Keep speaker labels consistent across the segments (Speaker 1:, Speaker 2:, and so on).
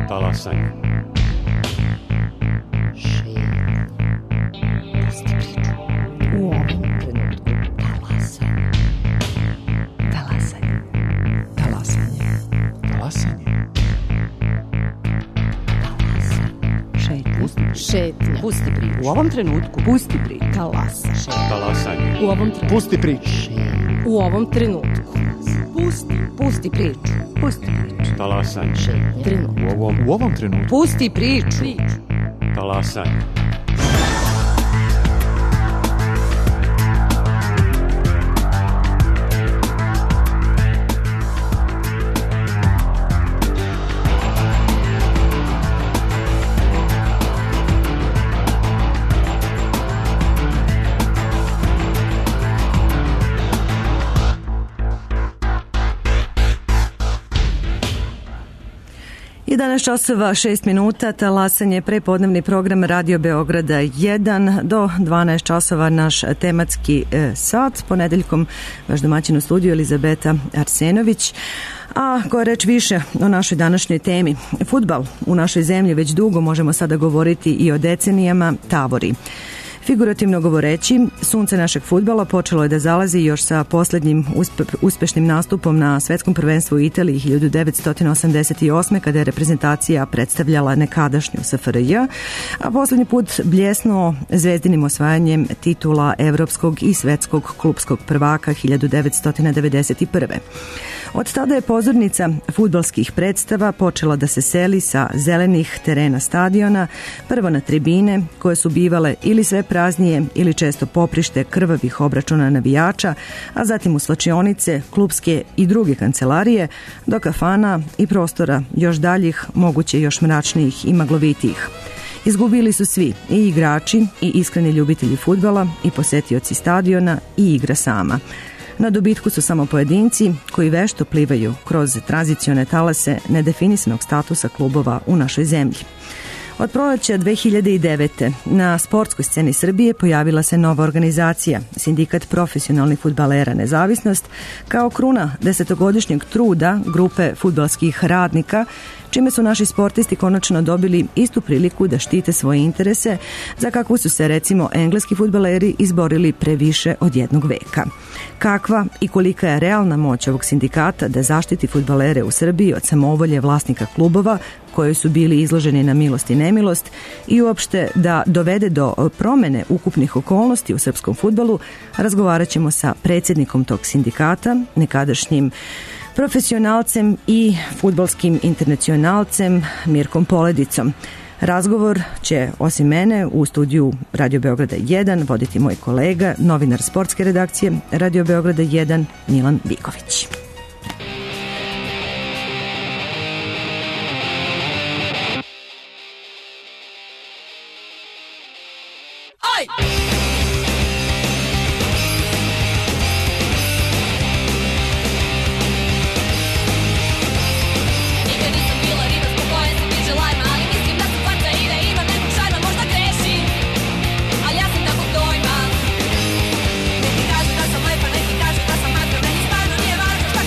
Speaker 1: Talasanje.
Speaker 2: Pusti priču. U ovom trenutku talasanje. Talasanje. Talasanje.
Speaker 3: Talasanje.
Speaker 2: Šetnja.
Speaker 4: Pusti priču.
Speaker 2: U ovom trenutku pusti priču.
Speaker 1: Talasanje.
Speaker 4: U ovom trenutku.
Speaker 3: Pusti priču.
Speaker 4: U ovom trenutku.
Speaker 2: Pusti priču. Pusti priču.
Speaker 1: Talasanje.
Speaker 4: Trenutku.
Speaker 3: U ovom trenutku.
Speaker 2: Pusti priču.
Speaker 1: Talasanje.
Speaker 5: I 11 časova 6 minuta, talasanje, prepodnevni program Radio Beograda 1 do 12 časova naš tematski sat. Ponedeljkom vaš domaćin u studiju Elizabeta Arsenović. A koja reč više o našoj današnjoj temi. Fudbal u našoj zemlji već dugo, možemo sada govoriti i o decenijama, tavori. Figurativno govoreći, sunce našeg fudbala počelo je da zalazi još sa posljednjim uspešnim nastupom na svetskom prvenstvu u Italiji 1988. kada je reprezentacija predstavljala nekadašnju SFRJ, a posljednji put bljesnuo zvezdinim osvajanjem titula evropskog i svetskog klupskog prvaka 1991. Od tada je pozornica fudbalskih predstava počela da se seli sa zelenih terena stadiona, prvo na tribine koje su bivale ili sve praznije ili često poprište krvavih obračuna navijača, a zatim u slačionice, klupske i druge kancelarije, do kafana i prostora još daljih, moguće još mračnijih i maglovitijih. Izgubili su svi, i igrači, i iskreni ljubitelji fudbala, i posetioci stadiona, i igra sama. Na dobitku su samo pojedinci koji vešto plivaju kroz tranzicione talase nedefinisanog statusa klubova u našoj zemlji. Od proleća 2009. na sportskoj sceni Srbije pojavila se nova organizacija, Sindikat profesionalnih fudbalera Nezavisnost, kao kruna 10-godišnjeg truda grupe fudbalskih radnika, čime su naši sportisti konačno dobili istu priliku da štite svoje interese, za kakvu su se recimo engleski fudbaleri izborili pre više od jednog veka. Kakva i kolika je realna moć ovog sindikata da zaštiti fudbalere u Srbiji od samovolje vlasnika klubova koji su bili izloženi na milost i nemilost i uopšte da dovede do promene ukupnih okolnosti u srpskom fudbalu, razgovarat ćemo sa predsjednikom tog sindikata, nekadašnjim profesionalcem i fudbalskim internacionalcem Mirkom Poledicom. Razgovor će, osim mene, u studiju Radio Beograda 1 voditi moj kolega, novinar sportske redakcije Radio Beograda 1, Milan Biković.
Speaker 6: Neki kažu da sam lepa, neki kažu da sam matka, meni stvarno nije važno šta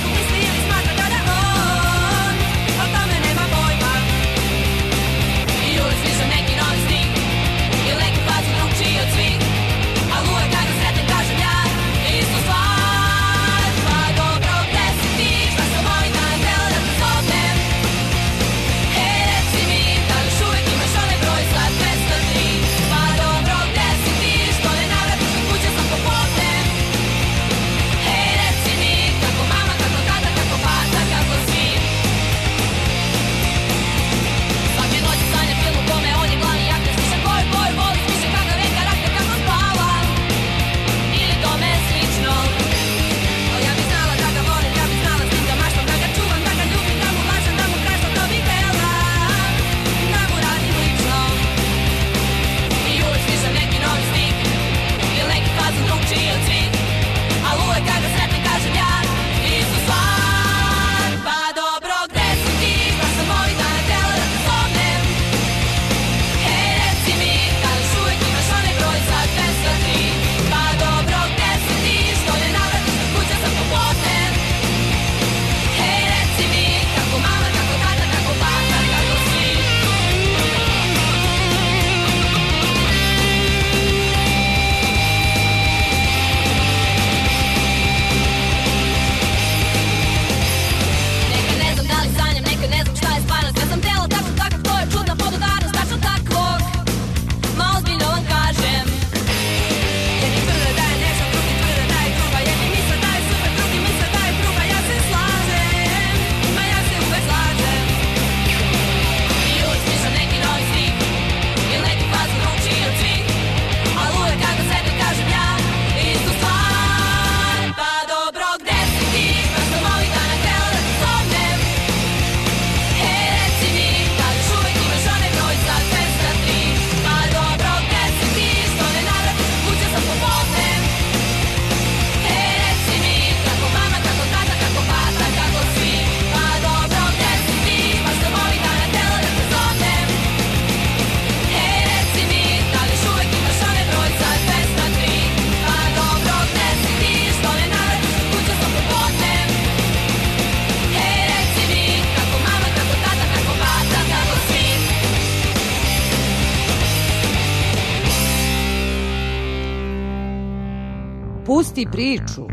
Speaker 4: Pusti priču.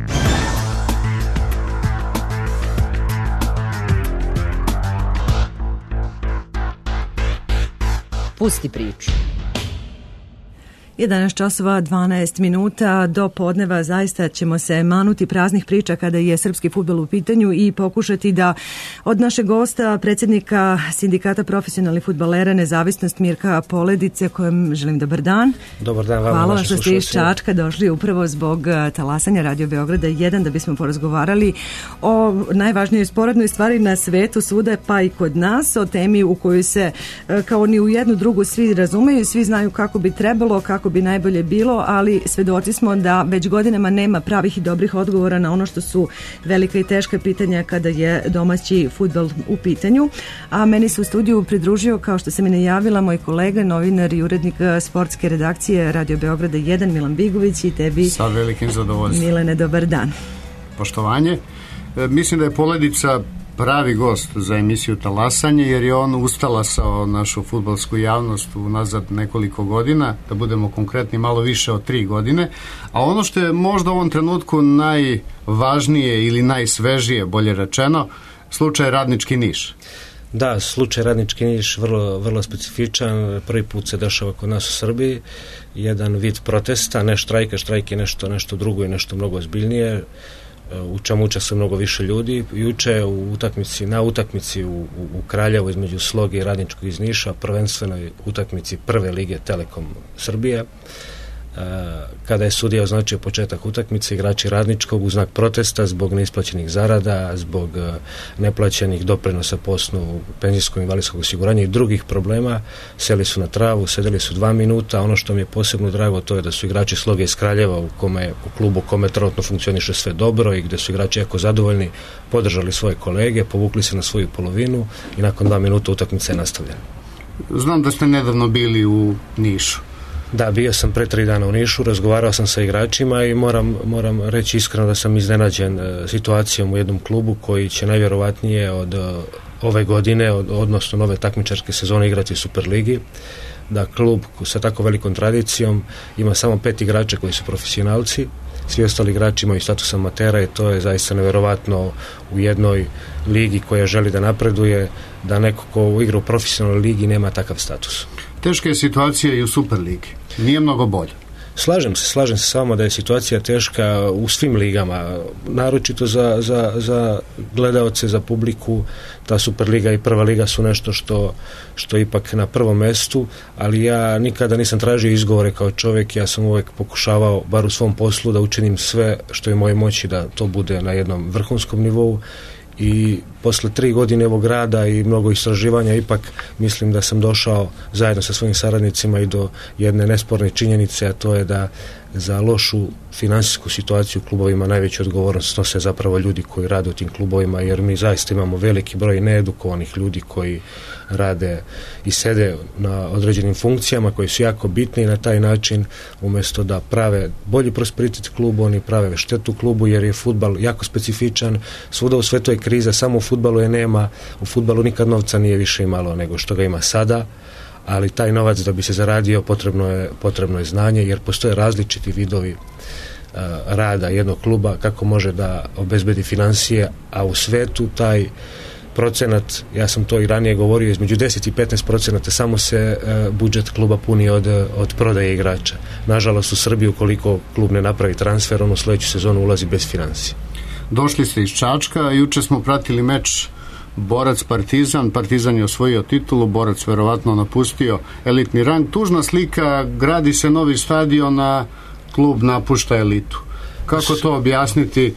Speaker 4: Pusti priču.
Speaker 5: 11 časova 12 minuta do podneva zaista ćemo se manuti praznih priča kada je srpski fudbal u pitanju i pokušati da od našeg gosta, predsjednika Sindikata profesionalnih fudbalera Nezavisnost Mirka Poledice, kojem želim dobar dan.
Speaker 6: Dobar dan vam.
Speaker 5: Hvala vam što ste iz Čačka došli upravo zbog talasanja Radio Beograda 1 da bismo porazgovarali o najvažnijoj sporednoj stvari na svetu, svuda pa i kod nas, o temi u kojoj se kao ni u jednu drugu svi razumeju, svi znaju kako bi trebalo, kako bi najbolje bilo, ali svedoci smo da već godinama nema pravih i dobrih odgovora na ono što su velika i teška pitanja kada je domaći fudbal u pitanju. A meni se u studiju pridružio, kao što sam i najavila, moj kolega, novinar i urednik sportske redakcije Radio Beograda 1, Milan Bigović, i tebi.
Speaker 7: Sa velikim zadovoljstvom.
Speaker 5: Milene, dobar dan.
Speaker 7: Poštovanje. Mislim da je Poledica pravi gost za emisiju Talasanje, jer je on ustalasao našu fudbalsku javnost unazad nekoliko godina, da budemo konkretni malo više od 3 godine, a ono što je možda u ovom trenutku najvažnije ili najsvežije, bolje rečeno, slučaj Radnički Niš.
Speaker 6: Da, slučaj Radnički Niš vrlo specifičan, prvi put se dešava kod nas u Srbiji, jedan vid protesta, ne štrajka, štrajk je nešto drugo i nešto mnogo ozbiljnije, u čemu učestvuje mnogo više ljudi. Juče na utakmici u Kraljevu između Sloge i Radničkog iz Niša, prvenstvenoj utakmici prve lige Telekom Srbije, kada je sudija označio početak utakmice, igrači Radničkog u znak protesta zbog neisplaćenih zarada, zbog neplaćenih doprinosa po osnovu penzijskog i invalidskog osiguranja i drugih problema, seli su na travu, sedeli su 2 minuta. Ono što mi je posebno drago, to je da su igrači Sloge iz Kraljeva, u klubu kome trenutno funkcioniše sve dobro i gde su igrači jako zadovoljni, podržali svoje kolege, povukli se na svoju polovinu i nakon 2 minuta utakmica je nastavljena.
Speaker 7: Znam da ste nedavno bili u Nišu.
Speaker 6: Da, bio sam pre 3 dana u Nišu, razgovarao sam sa igračima i moram reći iskreno da sam iznenađen situacijom u jednom klubu koji će najvjerovatnije od ove godine, odnosno nove takmičarske sezone, igrati u Superligi. Da klub sa tako velikom tradicijom ima samo 5 igrača koji su profesionalci, svi ostali igrači imaju status amatera i to je zaista nevjerovatno u jednoj ligi koja želi da napreduje, da neko ko igra u profesionalnoj ligi nema takav status.
Speaker 7: Teška je situacija i u Superligi. Nije mnogo bolje.
Speaker 6: Slažem se s vama da je situacija teška u svim ligama, naročito za gledaoce, za publiku. Ta Superliga i prva liga su nešto što ipak na prvom mestu, ali ja nikada nisam tražio izgovore kao čovjek, ja sam uvijek pokušavao, bar u svom poslu, da učinim sve što je u mojoj moći da to bude na jednom vrhunskom nivou. I posle 3 godine ovog rada i mnogo istraživanja ipak mislim da sam došao zajedno sa svojim saradnicima i do jedne nesporne činjenice, a to je da za lošu finansijsku situaciju u klubovima najveću odgovornost snose zapravo ljudi koji rade u tim klubovima, jer mi zaista imamo veliki broj needukovanih ljudi koji rade i sede na određenim funkcijama koji su jako bitni i na taj način umjesto da prave bolji prosperitet klubu, oni prave štetu klubu, jer je fudbal jako specifičan, svuda u svetu je kriza, samo u fudbalu je nema, u fudbalu nikad novca nije više imalo nego što ga ima sada, ali taj novac da bi se zaradio potrebno je znanje, jer postoje različiti vidovi rada jednog kluba kako može da obezbedi financije, a u svetu taj procenat, ja sam to i ranije govorio, između 10 i 15% samo se budžet kluba puni od prodaje igrača. Nažalost u Srbiji ukoliko klub ne napravi transfer, on u sledeću sezonu ulazi bez financije.
Speaker 7: Došli ste iz Čačka, juče smo pratili meč Borac-Partizan, Partizan je osvojio titulu, Borac verovatno napustio elitni rang. Tužna slika, gradi se novi stadion, a klub napušta elitu. Kako to objasniti?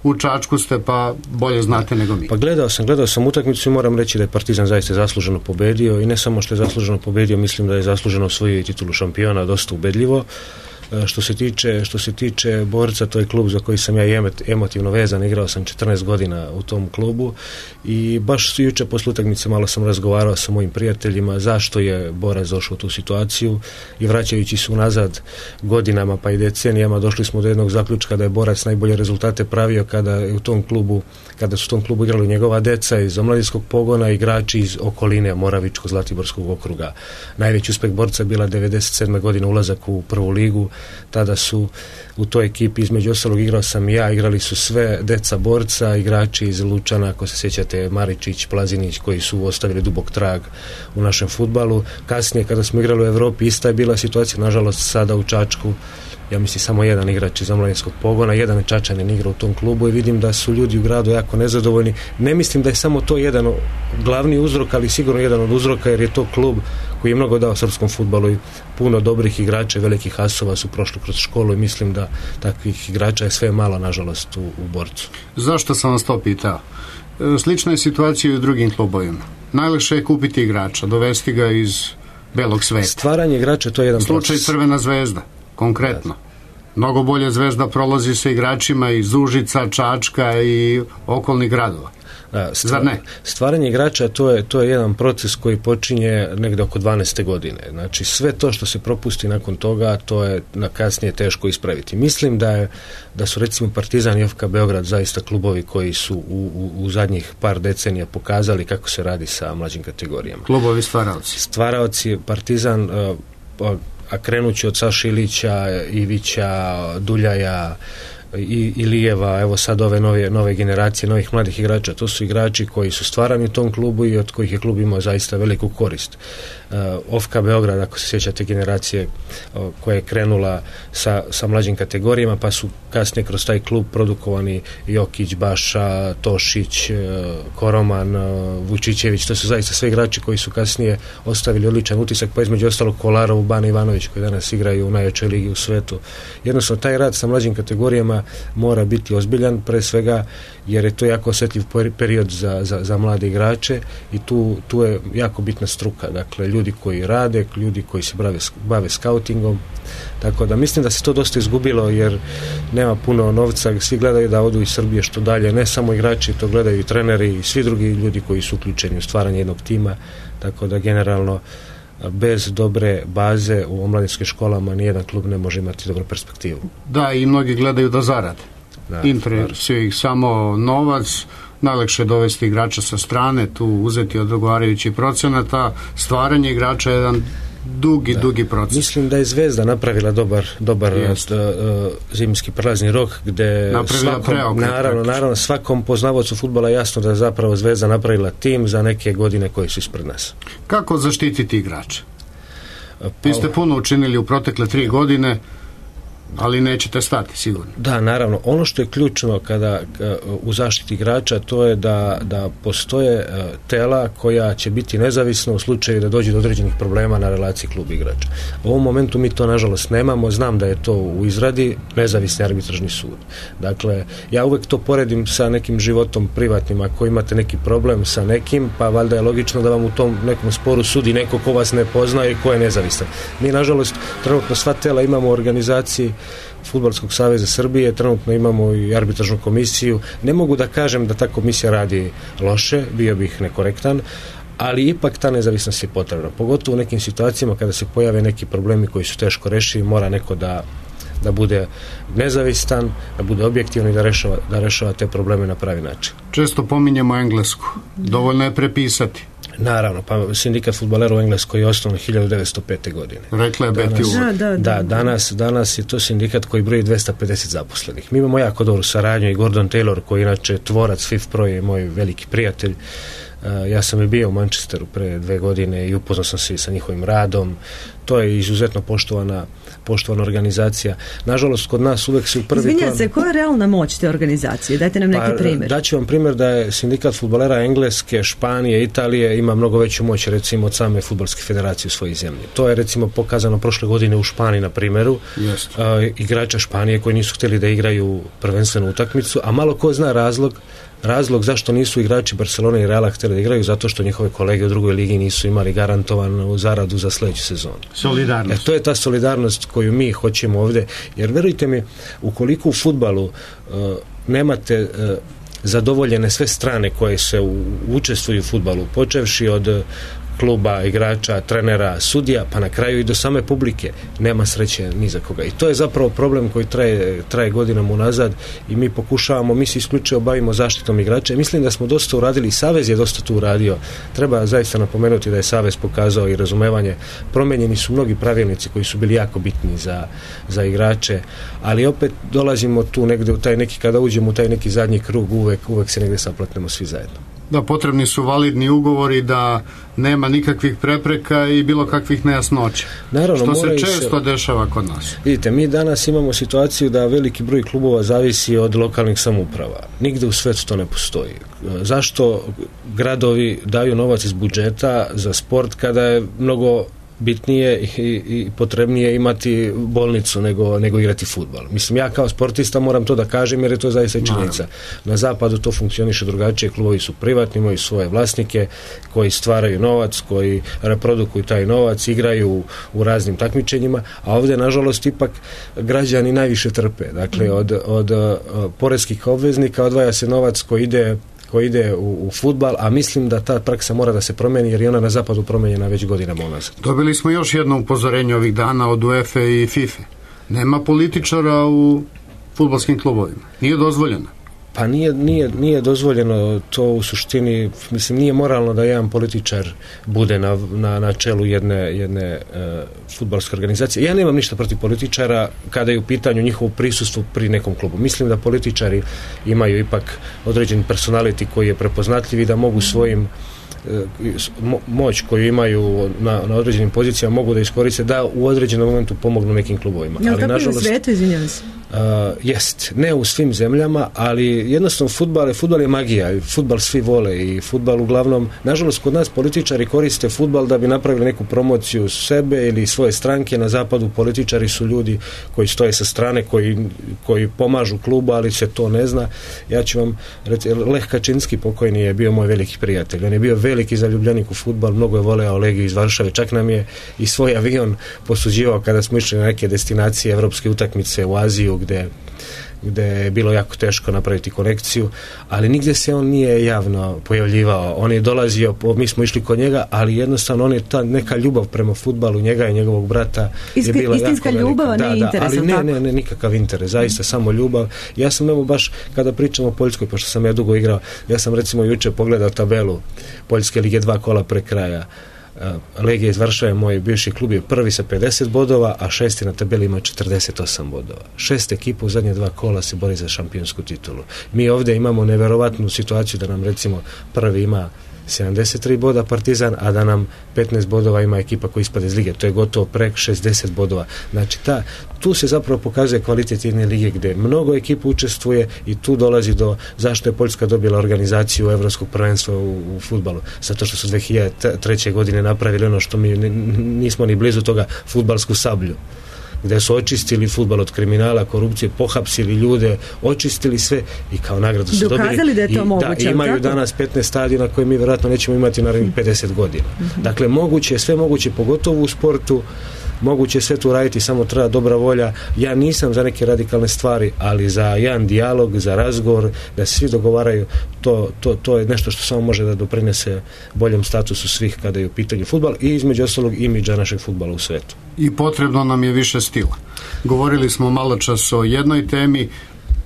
Speaker 7: U Čačku ste, pa bolje znate nego mi.
Speaker 6: Pa gledao sam utakmicu i moram reći da je Partizan zaista zasluženo pobedio i ne samo što je zasluženo pobedio, mislim da je zasluženo osvojio titulu šampiona dosta ubedljivo. Što se tiče Borca, to je klub za koji sam ja emotivno vezan, igrao sam 14 godina u tom klubu i baš juče posle utakmice malo sam razgovarao sa mojim prijateljima zašto je Borac došao u tu situaciju i vraćajući se unazad godinama pa i decenijama došli smo do jednog zaključka da je Borac najbolje rezultate pravio kada su u tom klubu igrali njegova deca iz omladinskog pogona, igrači iz okoline Moravičko-Zlatiborskog okruga. Najveći uspeh Borca je bila 97. godina ulazak u prvu ligu tada su u toj ekipi, između ostalog igrao sam i ja, igrali su sve deca borca, igrači iz Lučana, ako se sjećate, Maričić, Plazinić, koji su ostavili dubok trag u našem fudbalu. Kasnije kada smo igrali u Europi ista je bila situacija, nažalost sada u Čačku ja mislim samo jedan igrač iz omladinskog pogona, jedan Čačanin igra u tom klubu i vidim da su ljudi u gradu jako nezadovoljni. Ne mislim da je samo to jedan glavni uzrok, ali sigurno jedan od uzroka, jer je to klub koji je mnogo dao srpskom fudbalu i puno dobrih igrača, velikih asova su prošli kroz školu i mislim da takvih igrača je sve malo, nažalost, u Borcu.
Speaker 7: Zašto sam vas to pitao? Slična je situacija i u drugim klubovima. Najlakše je kupiti igrača, dovesti ga iz belog sveta.
Speaker 6: Stvaranje igrača, to je jedan
Speaker 7: slučaj
Speaker 6: proces.
Speaker 7: Crvena zvezda, konkretno. Mnogo bolje Zvezda prolazi sa igračima iz Užica, Čačka i okolnih gradova. Zar ne?
Speaker 6: Stvaranje igrača, to je jedan proces koji počinje negde oko 12. godine. Znači, sve to što se propusti nakon toga, to je na kasnije teško ispraviti. Mislim da su recimo Partizan i FK Beograd zaista klubovi koji su u zadnjih par decenija pokazali kako se radi sa mlađim kategorijama.
Speaker 7: Klubovi stvaraoci.
Speaker 6: Stvaraoci, Partizan, a krenući od Saše Ilića, Ivića, Duljaja, i Lijeva, evo sad ove nove generacije novih mladih igrača, to su igrači koji su stvarani u tom klubu i od kojih je klub imao zaista veliku korist. OFK Beograd, ako se sjećate generacije koja je krenula sa mlađim kategorijama, pa su kasnije kroz taj klub produkovani Jokić, Baša, Tošić, Koroman, Vučićević, to su zaista sve igrači koji su kasnije ostavili odličan utisak, pa između ostalog Kolarov, Bana Ivanović, koji danas igraju u najjačoj ligi u svetu. Jednostavno, taj rad sa mlađim kategorijama mora biti ozbiljan, pre svega jer je to jako osjetljiv period za mlade igrače i tu je jako bitna struka, dakle ljudi koji rade, ljudi koji se bave skautingom, tako da mislim da se to dosta izgubilo jer nema puno novca, svi gledaju da odu iz Srbije što dalje, ne samo igrači, to gledaju i treneri i svi drugi ljudi koji su uključeni u stvaranje jednog tima, tako da generalno bez dobre baze u omladinskim školama nijedan klub ne može imati dobru perspektivu.
Speaker 7: Da, i mnogi gledaju da zarade. Interesuje ih samo novac, najlakše je dovesti igrača sa strane, tu uzeti odgovarajući procenata, stvaranje igrača je jedan dugi proces. Mislim
Speaker 6: da je Zvezda napravila dobar zimski prelazni rok gde naravno svakom poznavaocu fudbala je jasno da je zapravo Zvezda napravila tim za neke godine koje su ispred nas.
Speaker 7: Kako zaštititi igrače? Vi ste puno učinili u protekle 3 godine, ali nećete stati sigurno.
Speaker 6: Da, naravno. Ono što je ključno kada u zaštiti igrača, to je da postoje tela koja će biti nezavisna u slučaju da dođe do određenih problema na relaciji klub igrača. U ovom momentu mi to nažalost nemamo, znam da je to u izradi, nezavisni arbitražni sud. Dakle, ja uvek to poredim sa nekim životom privatnim, ako imate neki problem sa nekim, pa valjda je logično da vam u tom nekom sporu sudi neko ko vas ne poznaje i ko je nezavistan. Mi nažalost trenutno sva tela imamo u organizaciji Fudbalskog saveza Srbije, trenutno imamo i arbitražnu komisiju. Ne mogu da kažem da ta komisija radi loše, bio bih nekorektan, ali ipak ta nezavisnost je potrebna. Pogotovo u nekim situacijama kada se pojave neki problemi koji su teško rešivi, mora neko da bude nezavistan, da bude objektivan i da rešava te probleme na pravi način.
Speaker 7: Često pominjemo Englesku. Dovoljno je prepisati.
Speaker 6: Naravno, pa sindikat fudbalera u Engleskoj je osnovan 1905. godine.
Speaker 7: Rekla je Betty Wood.
Speaker 6: Da, danas je to sindikat koji broji 250 zaposlenih. Mi imamo jako dobru saradnju i Gordon Taylor, koji inače tvorac FIF Pro je moj veliki prijatelj. Ja sam i bio u Manchesteru pre 2 godine i upoznao sam se sa njihovim radom. To je izuzetno poštovana organizacija. Nažalost, kod nas uvek se u prvi plan...
Speaker 5: Izvinjam se, koja je realna moć te organizacije? Dajte nam neki primjer.
Speaker 6: Daću vam primjer da je sindikat fudbalera Engleske, Španije, Italije ima mnogo veću moć recimo od same fudbalske federacije u svojoj zemlji. To je recimo pokazano prošle godine u Španiji na primjeru. Igrača Španije koji nisu htjeli da igraju prvenstvenu utakmicu, a malo ko zna razlog zašto nisu igrači Barcelone i Reala htjeli da igraju, zato što njihove kolege u drugoj ligi nisu imali garantovanu zaradu za sljedeću sezonu.
Speaker 7: Solidarnost.
Speaker 6: To je ta solidarnost koju mi hoćemo ovdje, jer verujte mi, ukoliko u fudbalu nemate zadovoljene sve strane koje se učestvuju u fudbalu, počevši od kluba, igrača, trenera, sudija, pa na kraju i do same publike nema sreće ni za koga. I to je zapravo problem koji traje godinama unazad i mi pokušavamo, mi se isključivo bavimo zaštitom igrača i mislim da smo dosta uradili, i Savez je dosta tu uradio. Treba zaista napomenuti da je Savez pokazao i razumevanje. Promenjeni su mnogi pravilnici koji su bili jako bitni za igrače, ali opet dolazimo tu negde u taj neki, kada uđemo u taj neki zadnji krug, uvek se negde saplatnemo svi zajedno.
Speaker 7: Da, potrebni su validni ugovori, da nema nikakvih prepreka i bilo kakvih nejasnoća.
Speaker 6: Naravno,
Speaker 7: što se često dešava kod nas.
Speaker 6: Vidite, mi danas imamo situaciju da veliki broj klubova zavisi od lokalnih samouprava. Nigde u svetu to ne postoji. Zašto gradovi daju novac iz budžeta za sport kada je mnogo bitnije i potrebnije imati bolnicu nego igrati fudbal? Mislim, ja kao sportista moram to da kažem jer je to zaista činjenica. Na zapadu to funkcioniše drugačije, klubovi su privatni, imaju svoje vlasnike koji stvaraju novac, koji reprodukuju taj novac, igraju u raznim takmičenjima, a ovdje nažalost ipak građani najviše trpe. Dakle, od poreskih obveznika odvaja se novac koji ide u fudbal, a mislim da ta praksa mora da se promeni jer je ona na zapadu promenjena već godinama unazad.
Speaker 7: Dobili smo još jedno upozorenje ovih dana od UEFA i FIFA. Nema političara u fudbalskim klubovima. Nije dozvoljeno.
Speaker 6: Pa nije dozvoljeno to u suštini, mislim, nije moralno da jedan političar bude na čelu jedne fudbalske organizacije. Ja nemam ništa protiv političara kada je u pitanju njihovo prisustvo pri nekom klubu. Mislim da političari imaju ipak određen personality koji je prepoznatljiv i da mogu svojim moć koju imaju na određenim pozicijama mogu da iskoriste da u određenom momentu pomognu nekim klubovima.
Speaker 5: Ali tako nažalost, je u svijetu, izvinjavam se?
Speaker 6: Jest, ne u svim zemljama, ali jednostavno fudbal je magija, fudbal svi vole i fudbal uglavnom, nažalost kod nas političari koriste fudbal da bi napravili neku promociju sebe ili svoje stranke. Na zapadu političari su ljudi koji stoje sa strane, koji pomažu klubu, ali se to ne zna. Ja ću vam reći, Lech Kačinski pokojni je bio moj veliki prijatelj, on je bio veliki zaljubljenik u fudbal, mnogo je voleo Legiju iz Varšave, čak nam je i svoj avion posuđivao kada smo išli na neke destinacije evropske utakmice u Aziju gde je bilo jako teško napraviti konekciju, ali nigde se on nije javno pojavljivao. On je dolazio, mi smo išli kod njega, ali jednostavno on je ta neka ljubav prema fudbalu njega i njegovog brata je bila
Speaker 5: istinska
Speaker 6: jako
Speaker 5: ljubav,
Speaker 6: velika.
Speaker 5: ne interes,
Speaker 6: ali ne nikakav interes, zaista samo ljubav. Ja sam evo baš kada pričamo o Poljskoj, pošto sam ja dugo igrao, ja sam recimo juče pogledao tabelu Poljske lige 2 kola pre kraja. Legija iz Varšave, moj bivši klub, je prvi sa 50 bodova, a šesti na tabeli ima 48 bodova. 6 ekipa u zadnje 2 kola se bori za šampionsku titulu. Mi ovdje imamo neverovatnu situaciju da nam recimo prvi ima 73 boda Partizan, a da nam 15 bodova ima ekipa koja ispada iz lige. To je gotovo prek 60 bodova. Znači, tu se zapravo pokazuje kvalitet jedne lige gdje mnogo ekipa učestvuje i tu dolazi do zašto je Poljska dobila organizaciju evropskog prvenstva u fudbalu. Zato što su 2003. godine napravili ono što mi nismo ni blizu toga, fudbalsku sablju, gde su očistili fudbal od kriminala, korupcije, pohapsili ljude, očistili sve i kao nagradu su dobili.
Speaker 5: Dokazali da je to moguće.
Speaker 6: Da, imaju danas 15 stadiona koje mi vjerojatno nećemo imati narednih 50 godina. Dakle, sve moguće, pogotovo u sportu, moguće sve tu raditi, samo treba dobra volja. Ja nisam za neke radikalne stvari, ali za jedan dijalog, za razgovor, da se svi dogovaraju, to je nešto što samo može da doprinese boljem statusu svih kada je u pitanju fudbal i između ostalog imidža našeg fudbala u svetu.
Speaker 7: I potrebno nam je više stila. Govorili smo malo čas o jednoj temi,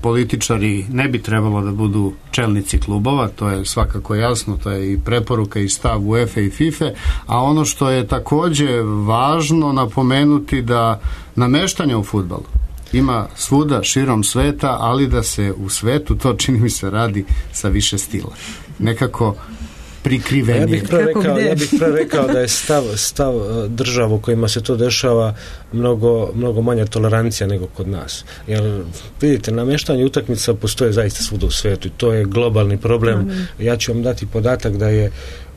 Speaker 7: političari ne bi trebalo da budu čelnici klubova, to je svakako jasno, to je i preporuka i stav UEFA i FIFA, a ono što je takođe važno napomenuti da nameštanje u fudbalu ima svuda širom sveta, ali da se u svetu to, čini mi se, radi sa više stila. Nekako prikrivenije.
Speaker 6: Ja bih pre rekao da je stav država u kojima se to dešava mnogo manja tolerancija nego kod nas. Jer vidite, nameštanje utakmica postoje zaista svuda u svetu i to je globalni problem. Ja ću vam dati podatak da je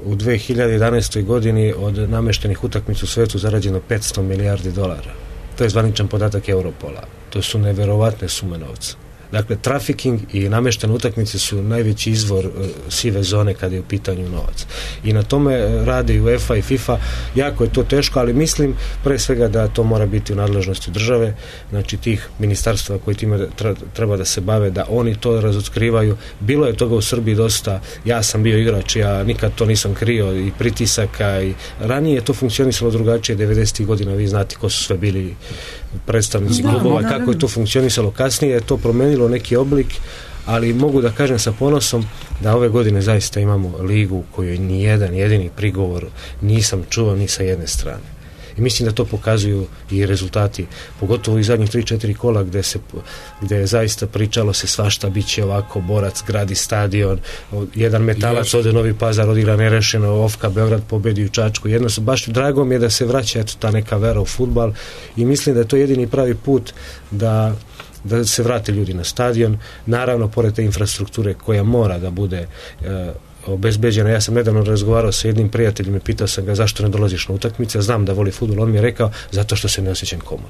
Speaker 6: u 2011. godini od nameštenih utakmica u svetu zarađeno 500 milijardi dolara. To je zvaničan podatak Europola. To su neverovatne sume novca. Dakle, trafiking i nameštene utakmice su najveći izvor sive zone kada je u pitanju novac. I na tome rade i UEFA i FIFA. Jako je to teško, ali mislim pre svega da to mora biti u nadležnosti države, znači tih ministarstva koji time treba da se bave, da oni to razotkrivaju. Bilo je toga u Srbiji dosta. Ja sam bio igrač, ja nikad to nisam krio, i pritisaka, i ranije je to funkcionisalo drugačije 90. godina, vi znate ko su sve bili predstavnici klubova, kako je to funkcionisalo. Kasnije je to promenilo neki oblik, ali mogu da kažem sa ponosom da ove godine zaista imamo ligu u kojoj ni jedan jedini prigovor nisam čuo ni sa jedne strane. I mislim da to pokazuju i rezultati, pogotovo i zadnjih 3-4 kola gde je zaista pričalo se svašta, bit će ovako, Borac gradi stadion, jedan Metalac ode Novi Pazar, odigra nerešeno, Ofka Beograd pobedi u Čačku. Jednostavno, baš drago mi je da se vraća ta neka vera u fudbal i mislim da je to jedini pravi put da se vrate ljudi na stadion, naravno pored te infrastrukture koja mora da bude obezbeđena. Ja sam nedavno razgovarao sa jednim prijateljem i pitao sam ga zašto ne dolaziš na utakmice, znam da voli fudbal, on mi je rekao zato što se ne osjećam komodno.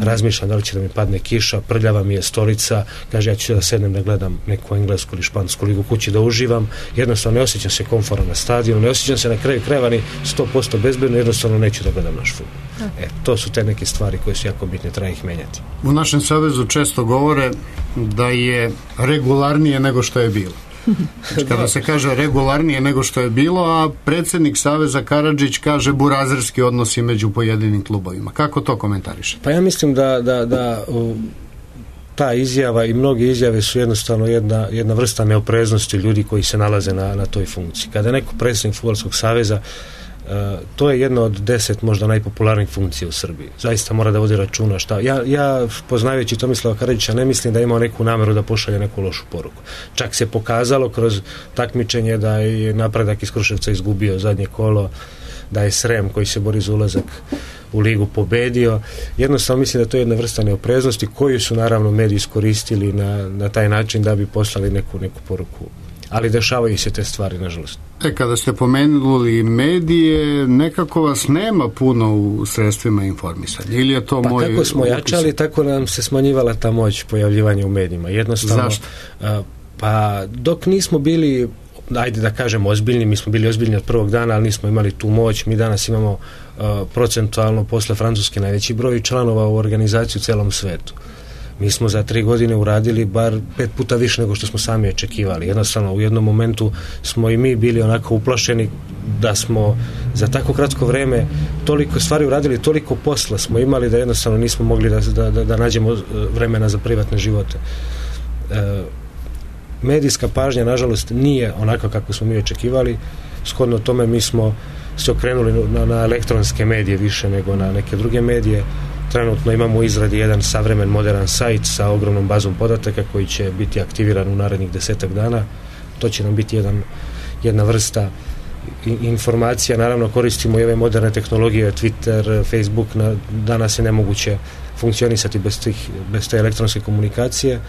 Speaker 6: Razmišljam da li će da mi padne kiša, prljava mi je stolica, kaže ja ću da sednem da gledam neku englesku ili špansku ligu kući, da uživam, jednostavno ne osjećam se komforno na stadionu, ne osjećam se na kraju krajeva ni 100% bezbedno, jednostavno neću da gledam naš fudbal. To su te neke stvari koje su jako bitne, treba ih menjati.
Speaker 7: U našem savezu često govore da je regularnije nego što je bilo. Kada se kaže regularnije nego što je bilo, a predsjednik Saveza Karadžić kaže burazerski odnosi među pojedinim klubovima. Kako to komentariše?
Speaker 6: Pa ja mislim da ta izjava i mnoge izjave su jednostavno jedna vrsta neopreznosti ljudi koji se nalaze na toj funkciji. Kada je neko predsjednik Fudbalskog saveza, to je jedna od 10 možda najpopularnijih funkcija u Srbiji. Zaista mora da vodi računa šta. Ja poznajući Tomislava Karadžića ne mislim da je imao neku nameru da pošalje neku lošu poruku. Čak se pokazalo kroz takmičenje da je Napredak iz Kruševca izgubio zadnje kolo, da je Srem koji se bori za ulazak u ligu pobedio. Jednostavno mislim da to je jedna vrsta neopreznosti koju su naravno mediji iskoristili na taj način da bi poslali neku poruku. Ali dešavaju se te stvari, nažalost.
Speaker 7: Kada ste pomenuli medije, nekako vas nema puno u sredstvima informisanja. Ili je to moj...
Speaker 6: Pa kako smo jačali, tako nam se smanjivala ta moć pojavljivanja u medijima. Jednostavno,
Speaker 7: zašto?
Speaker 6: Pa dok nismo bili, ajde da kažem, ozbiljni, mi smo bili ozbiljni od prvog dana, ali nismo imali tu moć. Mi danas imamo procentualno posle Francuske najveći broj članova u organizaciji u celom svetu. Mi smo za 3 godine uradili bar 5 puta više nego što smo sami očekivali. Jednostavno, u jednom momentu smo i mi bili onako uplašeni da smo za tako kratko vreme toliko stvari uradili, toliko posla smo imali da jednostavno nismo mogli da nađemo vremena za privatne živote. Medijska pažnja, nažalost, nije onako kako smo mi očekivali. Shodno tome mi smo se okrenuli na elektronske medije više nego na neke druge medije. Trenutno imamo u izradi jedan savremen, moderan sajt sa ogromnom bazom podataka koji će biti aktiviran u narednih 10 dana. To će nam biti jedna vrsta informacija. Naravno koristimo i ove moderne tehnologije, Twitter, Facebook, danas je nemoguće funkcionisati bez te elektronske komunikacije,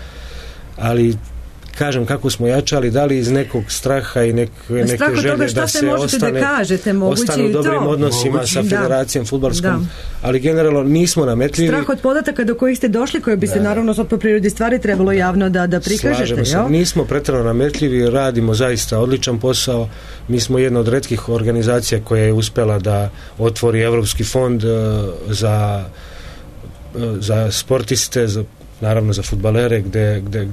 Speaker 6: ali kažem kako smo jačali, da li iz nekog straha i neke želje da se ostanu u dobrim odnosima sa federacijom fudbalskom, ali generalno nismo nametljivi.
Speaker 5: Strah od podataka do kojih ste došli, koje bi se naravno sad po prirodi stvari trebalo javno da prikažete.
Speaker 6: Slažemo se, nismo pretjerano nametljivi, radimo zaista odličan posao. Mi smo jedna od retkih organizacija koja je uspela da otvori Evropski fond za sportiste, naravno za fudbalere,